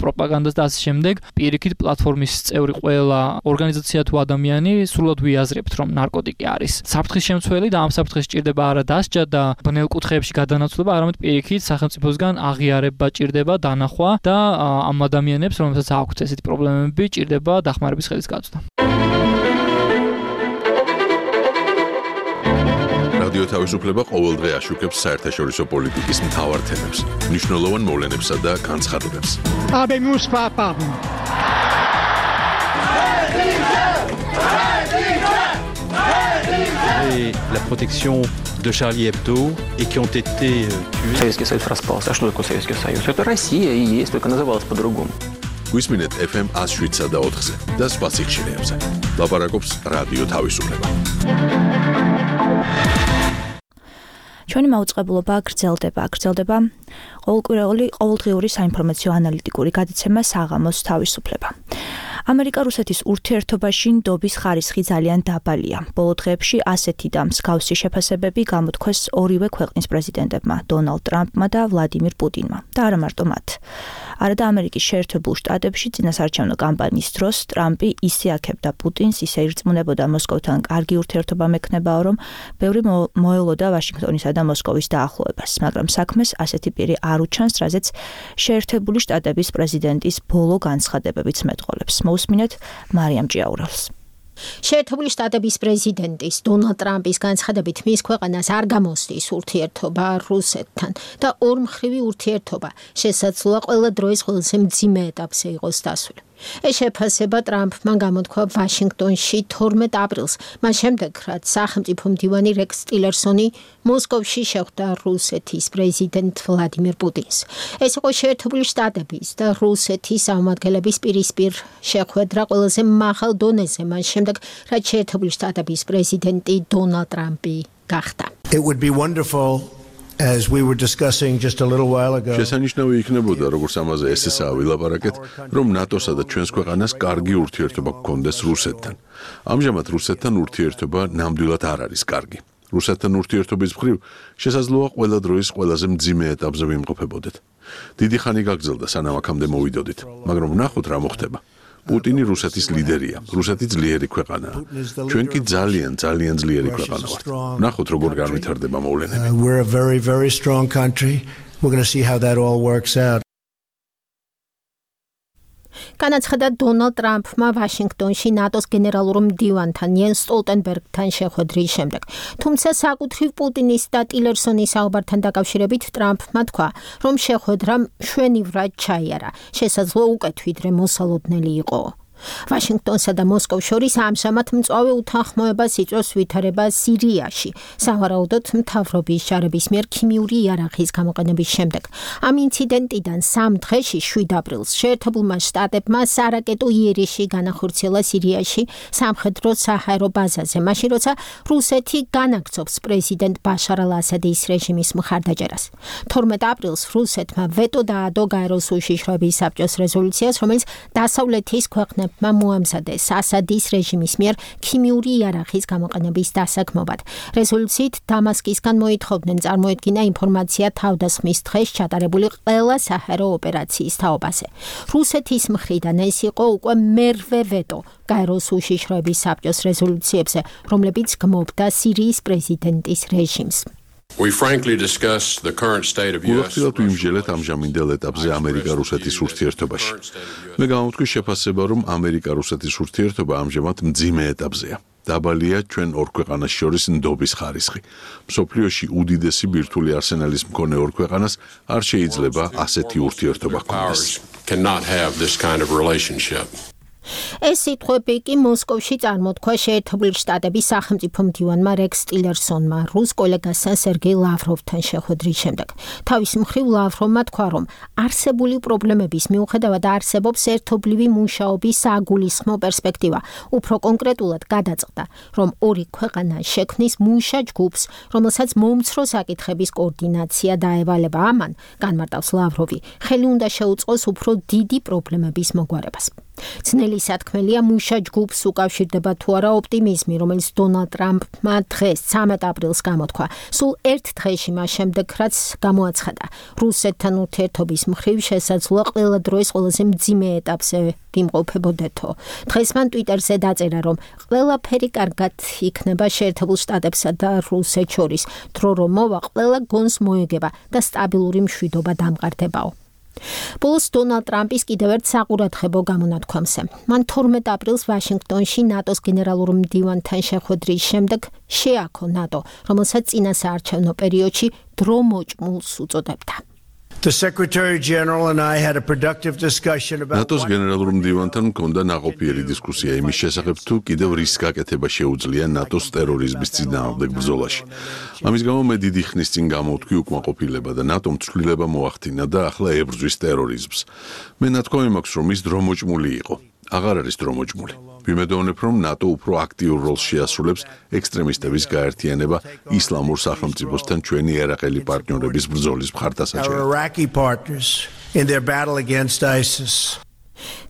პროპაგანდას და ასე შემდეგ. პირიქით პლატფორმის წევრი ყველა ორგანიზაცია თუ ადამიანი სრულად ვიაზრებთ, რომ ნარკოტიკი არის საფრთხის შემცველი და ამ საფრთხეს სჭირდება არა დასჯა და ბნელ კუთხეებში გადანაცვლება, არამედ პირიქით სახელმწიფოსგან აღიარება ჭირდება, დანახვა და ამ ადამიანებს, რომელსაც აქვთ ესეთი პრობლემები, ჭირდება დახმარების ხელის გაწვდა. რადიო თავისუფლება ყოველდღე აშუქებს საერთაშორისო პოლიტიკის მთავარ თემებს, მნიშვნელოვან მოვლენებსა და განცხადებებს. La protection de Charlie Hebdo et qui ont été tués. Советский Союз распался. А что такое Советский Союз? Это Россия и есть, только называлась по-другому. გვისმინეთ FM 107 და 4-ზე და სხვა სიხშირეებზე. ლაპარაკობს რადიო თავისუფლება. ჩვენი მაუწყებლობა გრძელდება ყოველდღიური საინფორმაციო ანალიტიკური გადაცემა საღამოს თავისუფლება. ამერიკა-რუსეთის ურთიერთობაში ნდობის ხარისხი ძალიან დაბალია. ბოლო დღეებში ასეთი და მსგავსი შეფასებები გამოთქვეს ორივე ქვეყნის პრეზიდენტებმა, დონალდ ტრამპმა და ვლადიმირ პუტინმა და არა მარტო მათ. არადა ამერიკის შეერთებულ შტატებში წინასაარჩევნო კამპანიის დროს ტრამპი ისე აქებდა პუტინს, ისე ირწმუნებოდა მოსკოვთან კარგი ურთიერთობა მექნებაო, რომ ბევრი მოელოდა ვაშინგტონისა და მოსკოვის დაახლოებას, მაგრამ საქმეს ასეთი პირი არ უჩანს, რაზეც შეერთებული შტატების პრეზიდენტის ბოლო განცხადებებიც მეტყოლებს. მოусმინეთ მარიამ ჭიაურელს. შეერთებული შტატების პრეზიდენტის დონალდ ტრამპის განცხადებით მის ქვეყანას არ გამოსდის ურთიერთობა რუსეთთან და ორმხრივი ურთიერთობა შესაძლოა ყველა დროის ყველაზე მძიმე ეტაპზე იყოს დასული. ეს შეფასება ტრამპმა გამოთქვა ვაშინგტონში 12 აპრილს, მას შემდეგ, რაც სახელმწიფო მდივანი რექს ტილერსონი მოსკოვში შეხვდა რუსეთის პრეზიდენტ ვლადიმირ პუტინს. ეს იყო შეერთებული შტატების და რუსეთის წარმომადგენლების პირისპირ შეხვედრა ყველაზე მაღალ დონეზე, მას შემდეგ, რაც შეერთებული შტატების პრეზიდენტი დონალდ ტრამპი გახდა. It would be wonderful as we were discussing just a little while ago. შესანიშნავი იქნებოდა, როგორც ამაზე ესესაა ვილაპარაკეთ, რომ ნატოსა და ჩვენს ქვეყანას კარგი ურთიერთობა გქონდეს რუსეთთან. ამჟამად რუსეთთან ურთიერთობა ნამდვილად არ არის კარგი. რუსეთთან ურთიერთობის მხრივ შესაძლოა ყველა დროის ყველაზე მძიმე ეტაპზე ვიმყოფებოდეთ. დიდი ხანი გაგრძელდა, სანამ აქამდე მოვიდოდით, მაგრამ ვნახოთ რა მოხდება. პუტინი რუსეთის ლიდერია, რუსეთი ძლიერი ქვეყანაა. ჩვენ კი ძალიან ძლიერი ქვეყანა ვართ. ვნახოთ როგორ განვითარდება მოვლენები. We're a very, very strong country. We're going to see how that all works out. განაცხადა დონალდ ტრამპმა ვაშინგტონში ნატოს გენერალურ მდივანთან იენს სტოლტენბერგთან შეხვედრის შემდეგ. თუმცა საკუთრივ პუტინის და ტილერსონის საუბართან დაკავშირებით ტრამპმა თქვა, რომ შეხვედრა მშვენივრად ჩაიარა, შესაძლოა უკეთ ვიდრე მოსალოდნელი იყო. ვაშინგტონსა და მოსკოვს შორის ამჟამად მწვავე უთანხმოებას იწვევს ვითარება სირიაში, სავარაუდოდ მთავრობის ჯარების მიერ ქიმიური იარაღის გამოყენების შემდეგ. ამ ინციდენტიდან 3 დღეში 7 აპრილს შეერთებულმა შტატებმა სარაკეტო იერიში განახორციელა სირიაში სამხედრო საჰაერო ბაზაზე, მაშინ როცა რუსეთი განაგრძობს პრეზიდენტ ბაშარ ალ-ასადის რეჟიმის მხარდაჭერას. 12 აპრილს რუსეთმა ვეტო დაადო გაეროს უშიშროების საბჭოს რეზოლუციას, რომელიც დასავლეთის ქვეყნებს მოამზადეს ასადის რეჟიმის მიერ ქიმიური იარაღის გამოყენების დასაქმობად. რეზოლუციით დამასკისგან მოითხოვდნენ წარმოედგინა ინფორმაცია თავდასხმის დღეს ჩატარებული ყველა საჰაერო ოპერაციის თაობაზე. რუსეთის მხრიდან ეს იყო უკვე მერვე ვეტო გაეროს უშიშროების საბჭოს რეზოლუციებზე, რომლებიც გმობდა სირიის პრეზიდენტის რეჟიმს. We frankly discuss the current state of US. უახდილად ვიმსჯელეთ ამჟამინდელ ეტაპზე ამერიკა-რუსეთის ურთიერთობაში. მე გამოვთქვი შეფასება, რომ ამერიკა-რუსეთის ურთიერთობა ამჟამად მძიმე ეტაპზეა. დაბალია ჩვენ ორ ქვეყანას შორის ნდობის ხარისხი. მსოფლიოში უდიდესი ბირთვული არსენალის მქონე ორ ქვეყანას არ შეიძლება ასეთი ურთიერთობა ჰქონდეს. Cannot have this kind of relationship. ეს სიტყვები კი მოსკოვში წარმოთქვა შეერთებული შტატების სახელმწიფო მდივანმა რექს ტილერსონმა რუს კოლეგასთან სერგეი ლავროვთან შეხვედრის შემდეგ. თავის მხრივ ლავროვმა თქვა, რომ არსებული პრობლემების მიუხედავად არსებობს ერთობლივი მუშაობის საგულისხმო პერსპექტივა. უფრო კონკრეტულად გადაწყდა, რომ ორი ქვეყანა შექმნის მუშა ჯგუფს, რომელსაც მომცრო საკითხების კოორდინაცია დაევალება. ამან, განმარტავს ლავროვი, ხელი უნდა შეუწყოს უფრო დიდი პრობლემების მოგვარებას. ძნელი სათქმელია მუშა ჯგუფს უკავშირდება თუ არა ოპტიმიზმი, რომელიც დონალდ ტრამპმა დღეს 13 აპრილს გამოთქვა. სულ ერთ დღეში მას შემდეგ, რაც გამოაცხადა, რუსეთთან ურთიერთობის მხრივ შესაძლოა ყველა დროის ყველაზე მძიმე ეტაპზე ვიმყოფებოდეთო. დღეს მან ტვიტერზე დაწერა, რომ ყველაფერი კარგად იქნება შეერთებულ შტატებსა და რუსეთს შორის, დრო რომ მოვა, ყველა გონს მოეგება და სტაბილური მშვიდობა დამყარდებაო. ბოლოს დონალდ ტრამპის კიდევ ერთ საყურადღებო გამონათქვამზე. მან 12 აპრილს ვაშინგტონში ნატოს გენერალურ მდივანთან შეხვედრის შემდეგ შეაქო ნატო, რომელსაც წინასაარჩევნო პერიოდში დრო მოჭმულს უწოდებდა. The Secretary General and I had a productive discussion about ნატოს გენერალურ მდივანთან მქონდა ნაყოფიერი დისკუსია იმის შესახებ, თუ კიდევ რის გაკეთება შეუძლია ნატოს ტერორიზმის წინააღმდეგ ბრძოლაში. ამის გამო მე დიდი ხნის წინ გამოვთქვი უკმაყოფილება და ნატომ ცვლილება მოახდინა და ახლა ებრძვის ტერორიზმს. მე ნათქვამი მაქვს, რომ ის დრო მოჭმული იყო. აღარ არის დრო მოჭმული. ვიმედოვნებ, რომ ნატო უფრო აქტიურ როლს შეასრულებს ექსტრემისტების გაერთიანება ისლამურ სახელმწიფოსთან ჩვენი ერაყელი პარტნიორების ბრძოლის მხარდასაჭერად.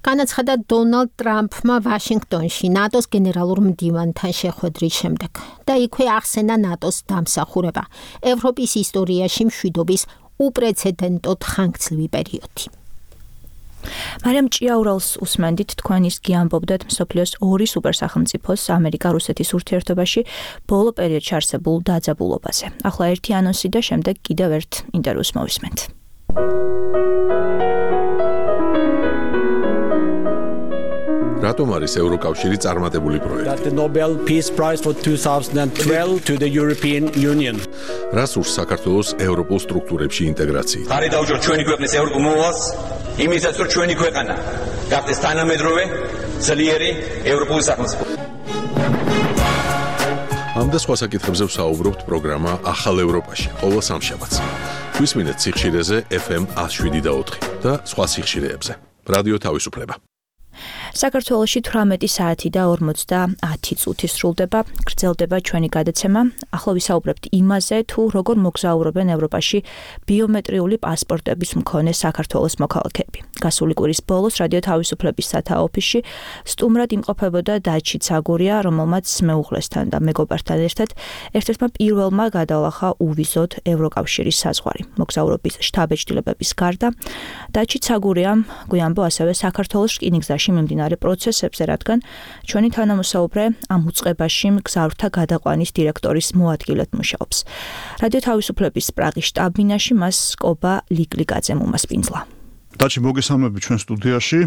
განაცხადა დონალდ ტრამპმა ვაშინგტონში ნატოს გენერალურ მდივანთან შეხვედრის შემდეგ და იქვე ახსენა ნატოს დამსახურება, ევროპის ისტორიაში მშვიდობის უპრეცედენტოდ ხანგრძლივი პერიოდი. მარიამ ჭიაურელს უსმენდით, თქვენ ის გიამბობდათ მსოფლიოს ორი სუპერსახელმწიფოს ამერიკა-რუსეთის ურთიერთობაში ბოლო პერიოდში არსებულ დაძაბულობაზე. ახლა ერთი ანონსი და შემდეგ კიდევ ერთ ინტერვიუს მოვისმენთ. რატომ არის ევროკავშირი წარმატებული პროექტი? The Nobel Peace Prize for 2012 to the European Union. რას ურს საქართველოს ევროპულ სტრუქტურებში ინტეგრაციით? ხარი დაუჭიროთ ჩვენი ქვეყნის ევროპულ მოვალს, იმისაც რომ ჩვენი ქვეყანა გახდეს თანამედროვე, ძლიერი ევროპული სახელმწიფო. ამ და სხვა საკითხებზე ვსაუბრობთ პროგრამა ახალ ევროპაში, ყოველ სამშაბათს. გვისმინეთ სიხშირეზე FM 107.4 და სხვა სიხშირეებზე. რადიო თავისუფლება. საქართველოში 18 საათი და 50 წუთი სრულდება, გრძელდება ჩვენი გადაცემა. ახლა ვისაუბრებთ იმაზე, თუ როგორ მოგზაურობენ ევროპაში ბიომეტრიული პასპორტების მქონე საქართველოს მოქალაქეები. გასული კვირის ბოლოს რადიო თავისუფლების სათაო ოფისში სტუმრად იმყოფებოდა დაჩი ცაგურია, რომელმაც მეუღლესთან და მეგობართან ერთად ერთ-ერთმა პირველმა გადაალახა უვიზოდ ევროკავშირის საზღვარი. მოგზაურობის შთაბეჭდილებების გარდა დაჩი ცაგურიამ გვიამბო ასევე საქართველოს რკინიგზაში მიმდინარე პროცესებზე, რადგან ჩვენი თანამოსაუბრე ამ უწყებაში მგზავრთა გადაყვანის დირექტორის მოადგილედ მუშაობს. რადიო თავისუფლების პრაღის შტაბ-ბინაში მას კობა ლიკლიკაძემ უმასპინძლა. დაჩი მოგესალმები ჩვენ სტუდიაში.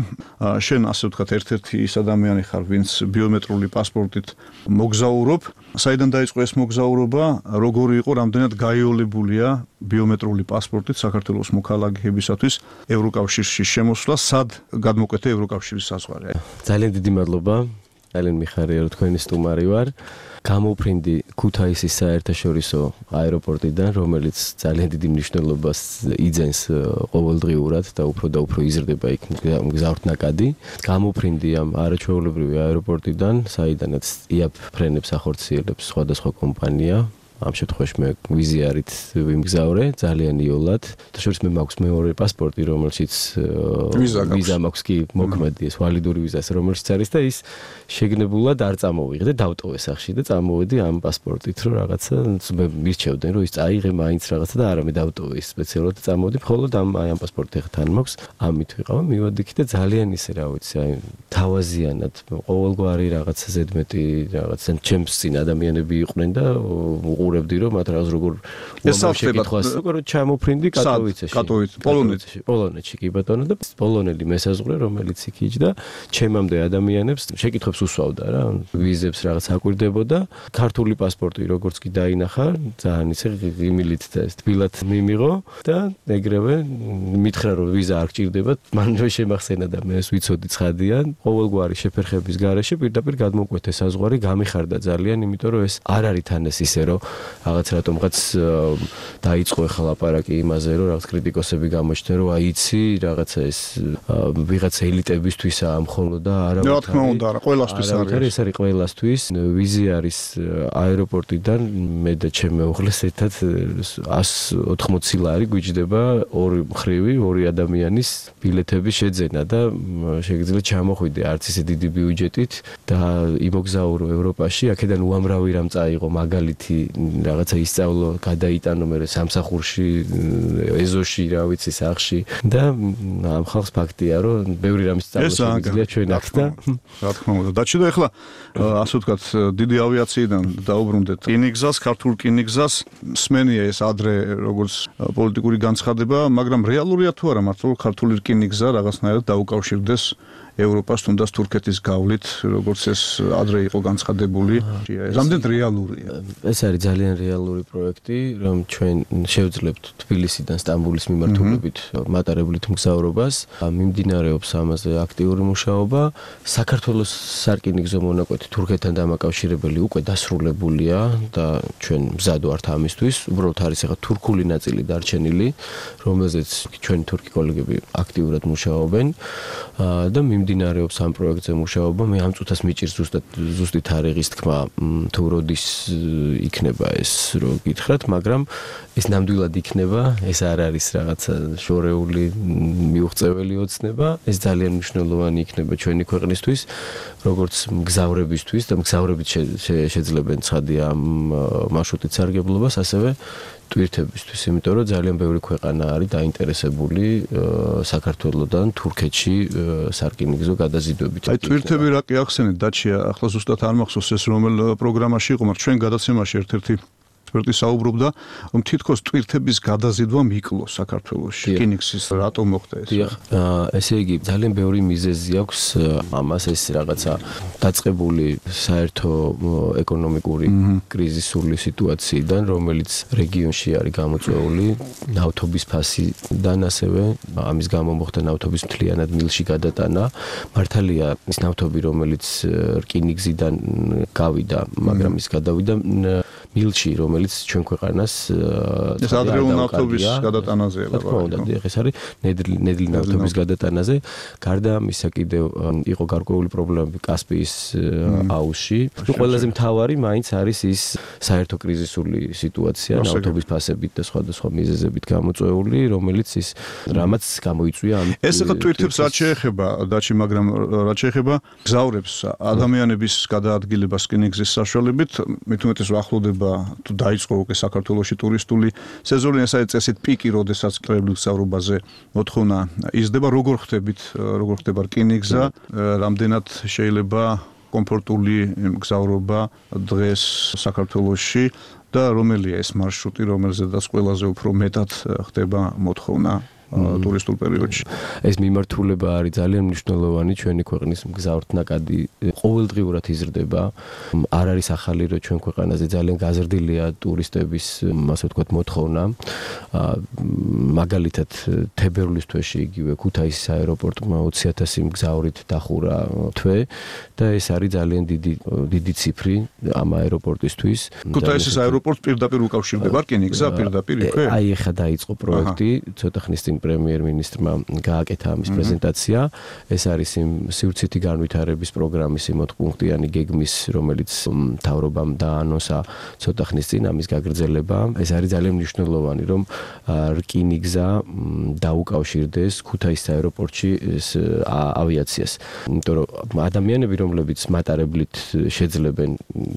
შენ ასე ვთქვათ ერთ-ერთი ის ადამიანი ხარ, ვინც ბიომეტრიული პასპორტით მოგზაურობ. საიდან დაიწყო ეს მოგზაურობა? როგორი იყო, რამდენად გაიოლებულია ბიომეტრიული პასპორტით საქართველოს მოქალაქეებისათვის ევროკავშირში შემოსვლა, სად გადმოკვეთა ევროკავშირის საზღვარი? ძალიან დიდი მადლობა. ძალიან მიხარია, რომ თქვენი სტუმარი ვარ. გამოფრინდი ქუთაისის საერთაშორისო აეროპორტიდან, რომელიც ძალიან დიდი მნიშვნელობას იძენს ყოველდღიურად და უფრო იზრდება იქ მგზავრთნაკადი. გამოფრინდი ამ არაჩვეულებრივი აეროპორტიდან, საიდანაც იაპ ფრენებს ახორციელებს სხვადასხვა კომპანია. ამ შემთხვევაში მე ვიზიარით ვიმგზავრე ძალიან იოლად. შორის მე მაქვს მეორე პასპორტი, რომელშიც ვიზა მაქვს კი მოქმედი, ეს ვალიდური ვიზა, რომელშიც არის და ის შეგნებულად არ წამოვიღე და დავტოვე სახში და წამოვედი ამ პასპორტით, რომ რაღაცა მე მირჩევდნენ, რომ ის წაიღე მაინც რაღაცა და არა მე დავტოვე ის სპეციალურად და წამოვედი, მხოლოდ ამ პასპორტი ხა თან მაქვს. ამით ვიყავ, მივედი კი და ძალიან ისე რა ვიცი, აი თავაზიანად ყოველგვარი რაღაცა ზედმეტი რაღაცა ჩემს წინ ადამიანები იყვნენ და უყურებდი რომ მათ რაღაც როგორ შეკითხვას როგორ ჩამოფრინდი კატოვიცეში. პოლონეთში კი ბატონო და პოლონელი მესაზღვრე რომელიც იქ იჯდა ჩემამდე ადამიანებს შეკითხვებს უსვავდა რა ვიზებს რაღაც აკვირდებოდა. ქართული პასპორტი როგორც კი დაინახა ძალიან ისე ღიმილით და ეს თბილად მიმიღო და ეგრევე მითხრა რომ ვიზა არ გჭირდება. მან შემახსენა და მე ეს ვიცოდი ცხადიან. ყოველგვარი შეფერხების გარეშე პირდაპირ გადმოკვეთე საზღვარი გამიხარდა ძალიან, იმიტომ რომ ეს არ არის თან ეს ისე რომ რაღაც რატომღაც დაიწყო ახლა ლაპარაკი იმაზე რომ რაღაც კრიტიკოსები გამოჩნდნენ რომ აი იცი რაღაცა ეს ვიღაც ელიტებისთვისაა მხოლოდ და არა რა თქმა უნდა არა ყველასთვის არის ეს არის ყველასთვის. ვიზი არის აეროპორტიდან მე და ჩემი მეუღლეს ერთად 180 ლარი გვიჯდება ორი მხრივი ორი ადამიანის ბილეთების შეძენა და შეგიძლიათ ჩამოხვიდე არც ისე დიდი ბიუჯეტით და იმოგზაურო ევროპაში. აქედან უამრავი რამ წაიღო მაგალითი რაღაცა ისწავლო, გადაიტანო მე სამსახურში, ეზოში, რა ვიცი, სახში და ამ ხალხს ფაქტია, რომ ბევრი რამის სწავლა შეგვიძლია ჩვენ აქ და რა თქმა უნდა. დაჩი და ახლა ასე ვთქვათ, დიდი ავიაციიდან დაუბრუნდეთ რკინიგზას, ქართულ რკინიგზას, სმენია ეს ადრე როგორც პოლიტიკური განცხადება, მაგრამ რეალურია თუ არა მართლა ქართული რკინიგზა რაღაცნაირად დაუკავშირდეს ევროპას თუნდაც თურქეთის გავლით, როგორც ეს ადრე იყო განცხადებული. რამდენად რეალურია? ეს არის ძალიან რეალური პროექტი, რომ ჩვენ შევძლებთ თბილისიდან სტამბოლის მიმართულებით მატარებლით მგზავრობას. მიმდინარეობს ამაზე აქტიური მუშაობა. საქართველოს სარკინიგზო მონაკვეთი თურქეთთან დამაკავშირებელი უკვე დასრულებულია და ჩვენ მზად ვართ ამისთვის. უბრალოდ არის ახლა თურქული ნაწილი დარჩენილი, რომელზეც ჩვენი თურქი კოლეგები აქტიურად მუშაობენ და მიმდინარეობს ამ პროექტზე მუშაობა. მე ამ წუთას მიჭირს ზუსტი თარიღის თქმა, თუ როდის იქნება ეს რო გითხრათ, მაგრამ ეს ნამდვილად იქნება, ეს არ არის რაღაცა შორეული მიუღწეველი ოცნება, ეს ძალიან მნიშვნელოვანი იქნება ჩვენი ქვეყნისთვის, როგორც მგზავრებისთვის და მგზავრებით შეძლებენ ცხადია ამ მარშრუტით სარგებლობას, ასევე ტვირთებისთვის, იმიტომ რომ ძალიან ბევრი ქვეყანა არის დაინტერესებული საქართველოსთან თურქეთში სარკინიგზო გადაზიდვებით. აი ტვირთები რა კი ახსენეთ დაჩია, ახლა ზუსტად არ მახსოვს ეს რომელ პროგრამაში იყო, მაგრამ ჩვენ გადაცემაში ერთ-ერთი ექსპერტი საუბრობდა, რომ თითქოს ტვირთების გადაზიდვა მიკლო საქართველოში. რკინიგზის რატომ მოხდა ეს? ესე იგი, ძალიან ბევრი მიზეზი აქვს ამას, ეს რაღაცა დაწყებული საერთო ეკონომიკური კრიზისული სიტუაციიდან, რომელიც რეგიონში არის გამოწვეული ნავთობის ფასიდან, ასევე ამის გამო მოხდა ნავთობის მთლიანად მილში გადატანა. მართალია, ის ნავთობი, რომელიც რკინიგზიდან გავიდა, მაგრამ ის გადავიდა მილში, რომელიც ჩვენ ქვეყანას ეს ადრეული ნავთობის გადატანაზეა. რა თქმა უნდა, ეს არის ნედლი ნავთობის გადატანაზე. გარდა ამისა კიდევ იყო გარკვეული პრობლემები კასპიის აუზში. ყველაზე მთავარი მაინც არის ის საერთო კრიზისული სიტუაცია ნავთობის ფასებით და სხვადასხვა მიზეზებით გამოწვეული, რომელიც ის რამაც გამოიწვია ამ ეს ახლა ტვირთებს რაც შეეხება დაჩი, მაგრამ რაც შეეხება გზავრებს ადამიანების გადაადგილებას რკინიგზის საშუალებით, მით უმეტეს ახლოვდება თუ დაიწყო უკვე საქართველოში ტურისტული სეზონი, ეს არის წესით პიკი, როდესაც კრებლის გზავრობაზე მოთხოვნა იზრდება. როგორ ხდება რკინიგზა, რამდენად შეიძლება კომფორტული გზავრობა დღეს საქართველოში და რომელია ეს მარშრუტი, რომელზედაც ყველაზე უფრო მეტად ხდება მოთხოვნა ტურისტულ პერიოდში. ეს მიმართულება არის ძალიან მნიშვნელოვანი ჩვენი ქვეყნის მგზავრთნაკადი ყოველდღიურად იზრდება. არ არის ახალი, რომ ჩვენ ქვეყანაზე ძალიან გაზრდილია ტურისტების, ასე ვთქვათ, მოთხოვნა. მაგალითად, თებერვლის თვეში იგივე ქუთაისის აეროპორტმა 20,000 მგზავრით დახურა თვე და ეს არის ძალიან დიდი ციფრი ამ აეროპორტისთვის. ქუთაისის აეროპორტს პირდაპირ უკავშირდება რკინიგზა პირდაპირ იქვე? აი ეხლა დაიწყო პროექტი, ცოტა ხნის წინ პრემიერ-მინისტრმა გააკეთა ამის პრეზენტაცია. ეს არის იმ სივრცითი განვითარების პროგრამის 8-პუნქტიანი გეგმის, რომელიც მთავრობამ დაანონსა ცოტა ხნის წინ ამის გაგრძელება. ეს არის ძალიან მნიშვნელოვანი, რომ რკინიგზა დაუკავშირდეს ქუთაისის აეროპორტში ავიაციას. იმიტომ რომ ადამიანები, რომლებიც მატარებლით შეძლებენ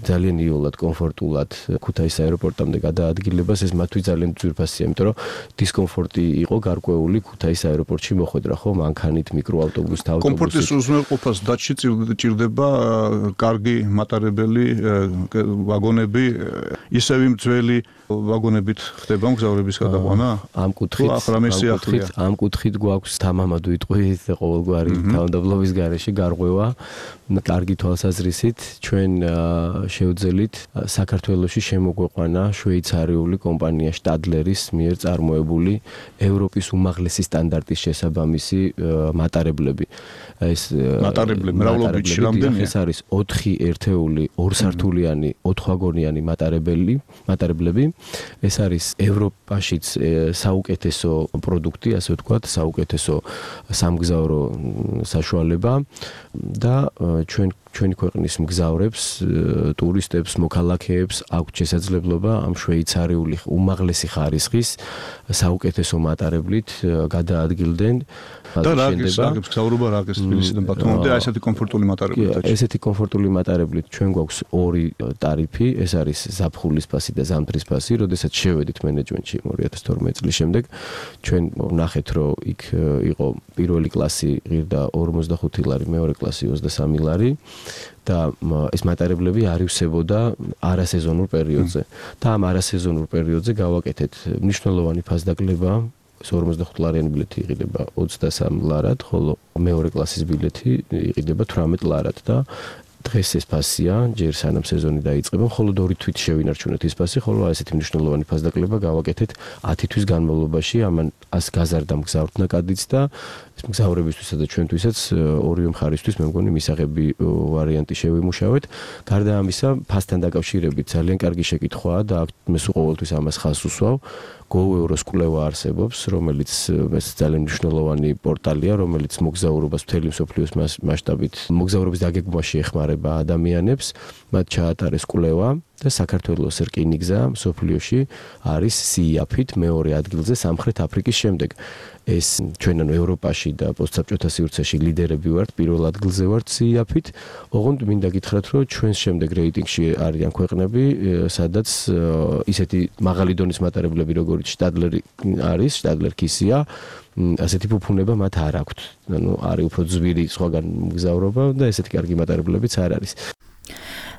ძალიან იოლად, კომფორტულად ქუთაისის აეროპორტამდე გადაადგილებას, ეს მათთვის ძალიან ძვირფასია, იმიტომ რომ დისკომფორტი იყო გარკვეული ქუთაისის აეროპორტში მოხვედრა, ხო, მანქანით, მიკროავტობუსით, ავტობუსით. კომფორტის უზრუნველყოფას დაჩი ჭირდება კარგი მატარებელი ვაგონები, ისევ იმ ძველი ვაგონებით ხდება მგზავრების გადაყვანა? ამ კუთხით გვაქვს თამამად ვიტყვით ყოველგვარი თავდაბლობის გარეშე გარღვევა, კარგი თვალსაზრისით ჩვენ შევძელით საქართველოში შემოგვეყვანა შვეიცარიული კომპანია შტადლერის მიერ წარმოებული ევროპის უმაღლესი სტანდარტის შესაბამისი მატარებლები. ეს მატარებლები მრავლობითში რამდენია? ეს არის 4 ერთეული, 2 სართულიანი, 4 ვაგონიანი მატარებლები. ეს არის ევროპაშიც საუკეთესო პროდუქტი, ასე ვთქვათ, საუკეთესო სამგზავრო საშუალება და ჩვენი ქვეყნის მგზავრებს, ტურისტებს, მოქალაქეებს აქვს შესაძლებლობა ამ შვეიცარიული უმაღლესი ხარისხის საუკეთესო მატარებლით გადაადგილდნენ. და რაგის მგზავრობა რაგის თბილისიდან ბათუმამდე ესეთი კომფორტული მატარებლით. ესეთი კომფორტული მატარებლით ჩვენ გვაქვს 2 ტარიფი, ეს არის ზაფხულის ფასი და ზამთრის ფასი. როდესაც შევედით მენეჯმენტში 2012 წლის შემდეგ, ჩვენ ვნახეთ, რომ იქ იყო პირველი კლასი ღირდა 45 ლარი, მეორე კლასი 23 ლარი. და ეს მატარებლები არივსებოდა არასეზონურ პერიოდზე. და ამ არასეზონურ პერიოდზე გავაკეთეთ მნიშვნელოვანი ფასდაკლება. 45 ლარიანი ბილეთი იყიდება 23 ლარად, ხოლო მეორე კლასის ბილეთი იყიდება 18 ლარად და დღეს ეს ფასია, ჯერ სანამ სეზონი დაიწყება, ხოლო 2 თვით შევინარჩუნეთ ის ფასი, ხოლო ესეთი მნიშვნელოვანი ფასდაკლება გავაკეთეთ 10 თვის განმავლობაში, ამან ას გაზარდა მგზავრთნაკადიც და მგზავრებისთვისა და ჩვენთვისაც ორივე მხარისთვის მე მგონი მისაღები ვარიანტი შევიმუშავეთ. გარდა ამისა, ფასთან დაკავშირებით ძალიან კარგი შეკითხვაა და მე სულ ყოველთვის ამას ხაზს უსვავ. GoEuros კვლევა არსებობს, რომელიც ეს ძალიან მნიშვნელოვანი პორტალია, რომელიც მოგზაურობას მთელი მსოფლიოს მასშტაბით მოგზაურობის დაგეგმვაში ეხმარება ადამიანებს. მათ ჩაატარეს კვლევა და საქართველოს რკინიგზა მსოფლიოში არის სიაფით მეორე ადგილზე სამხრეთ აფრიკის შემდეგ. ეს ჩვენ ანუ ევროპაში და პოსტსაბჭოთა სივრცეში ლიდერები ვართ, პირველ ადგილზე ვართ სიაფით. ოღონდ მინდა გითხრათ, რომ ჩვენს შემდეგ რეიტინგში არიან ქვეყნები, სადაც ისეთი მაღალი დონის მატარებლები, როგორც შტადლერი არის, შტადლერ-კისია, ასეთი ფუფუნება მათ არ აქვთ. ანუ არის უფრო ძვირი სხვაგან მგზავრობა და ესეთი კარგი მატარებლებიც არ არის.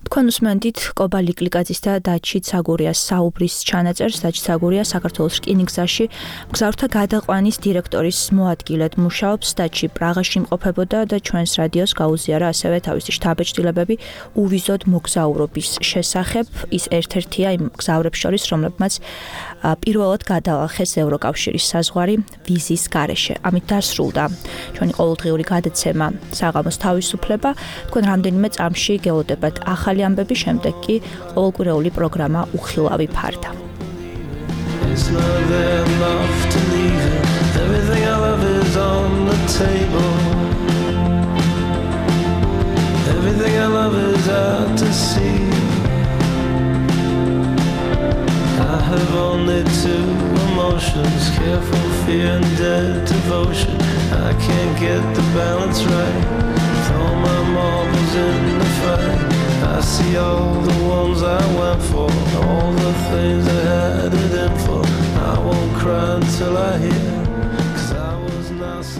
თქვენ უსმენთ კობა ლიკლიკაძის და დაჩი ცაგურიას საუბრის ჩანაწერს. დაჩი ცაგურია საქართველოს რკინიგზაში მგზავრთა გადაყვანის დირექტორის მოადგილედ მუშაობს. დაჩი პრაღაში იმყოფებოდა და ჩვენს რადიოს გაუზიარა ასევე თავისი შთაბეჭდილებები უვიზოდ მოგზაურობის შესახებ. ის ერთ-ერთია იმ მგზავრებს შორის, რომლებმაც პირველად გადაახეს ევროკავშირის საზღვარი ვიზის გარეშე. ამით დასრულდა ჩვენი ყოველდღიური გადაცემა საღამოს თავისუფლება. თქვენ რამდენიმე წამში გელოდებათ ახალი ამბები, შემდეგ კი ყოველკვირეული პროგრამა უხილავი ფარდა. It's not enough to leave it. Everything I love is on the table. Everything I love is out to sea. I have only two emotions, careful fear and dead devotion. I can't get the balance right. Throw my marbles in the fight. I see all the ones I went for, all the things I had it in for. I won't cry until I hear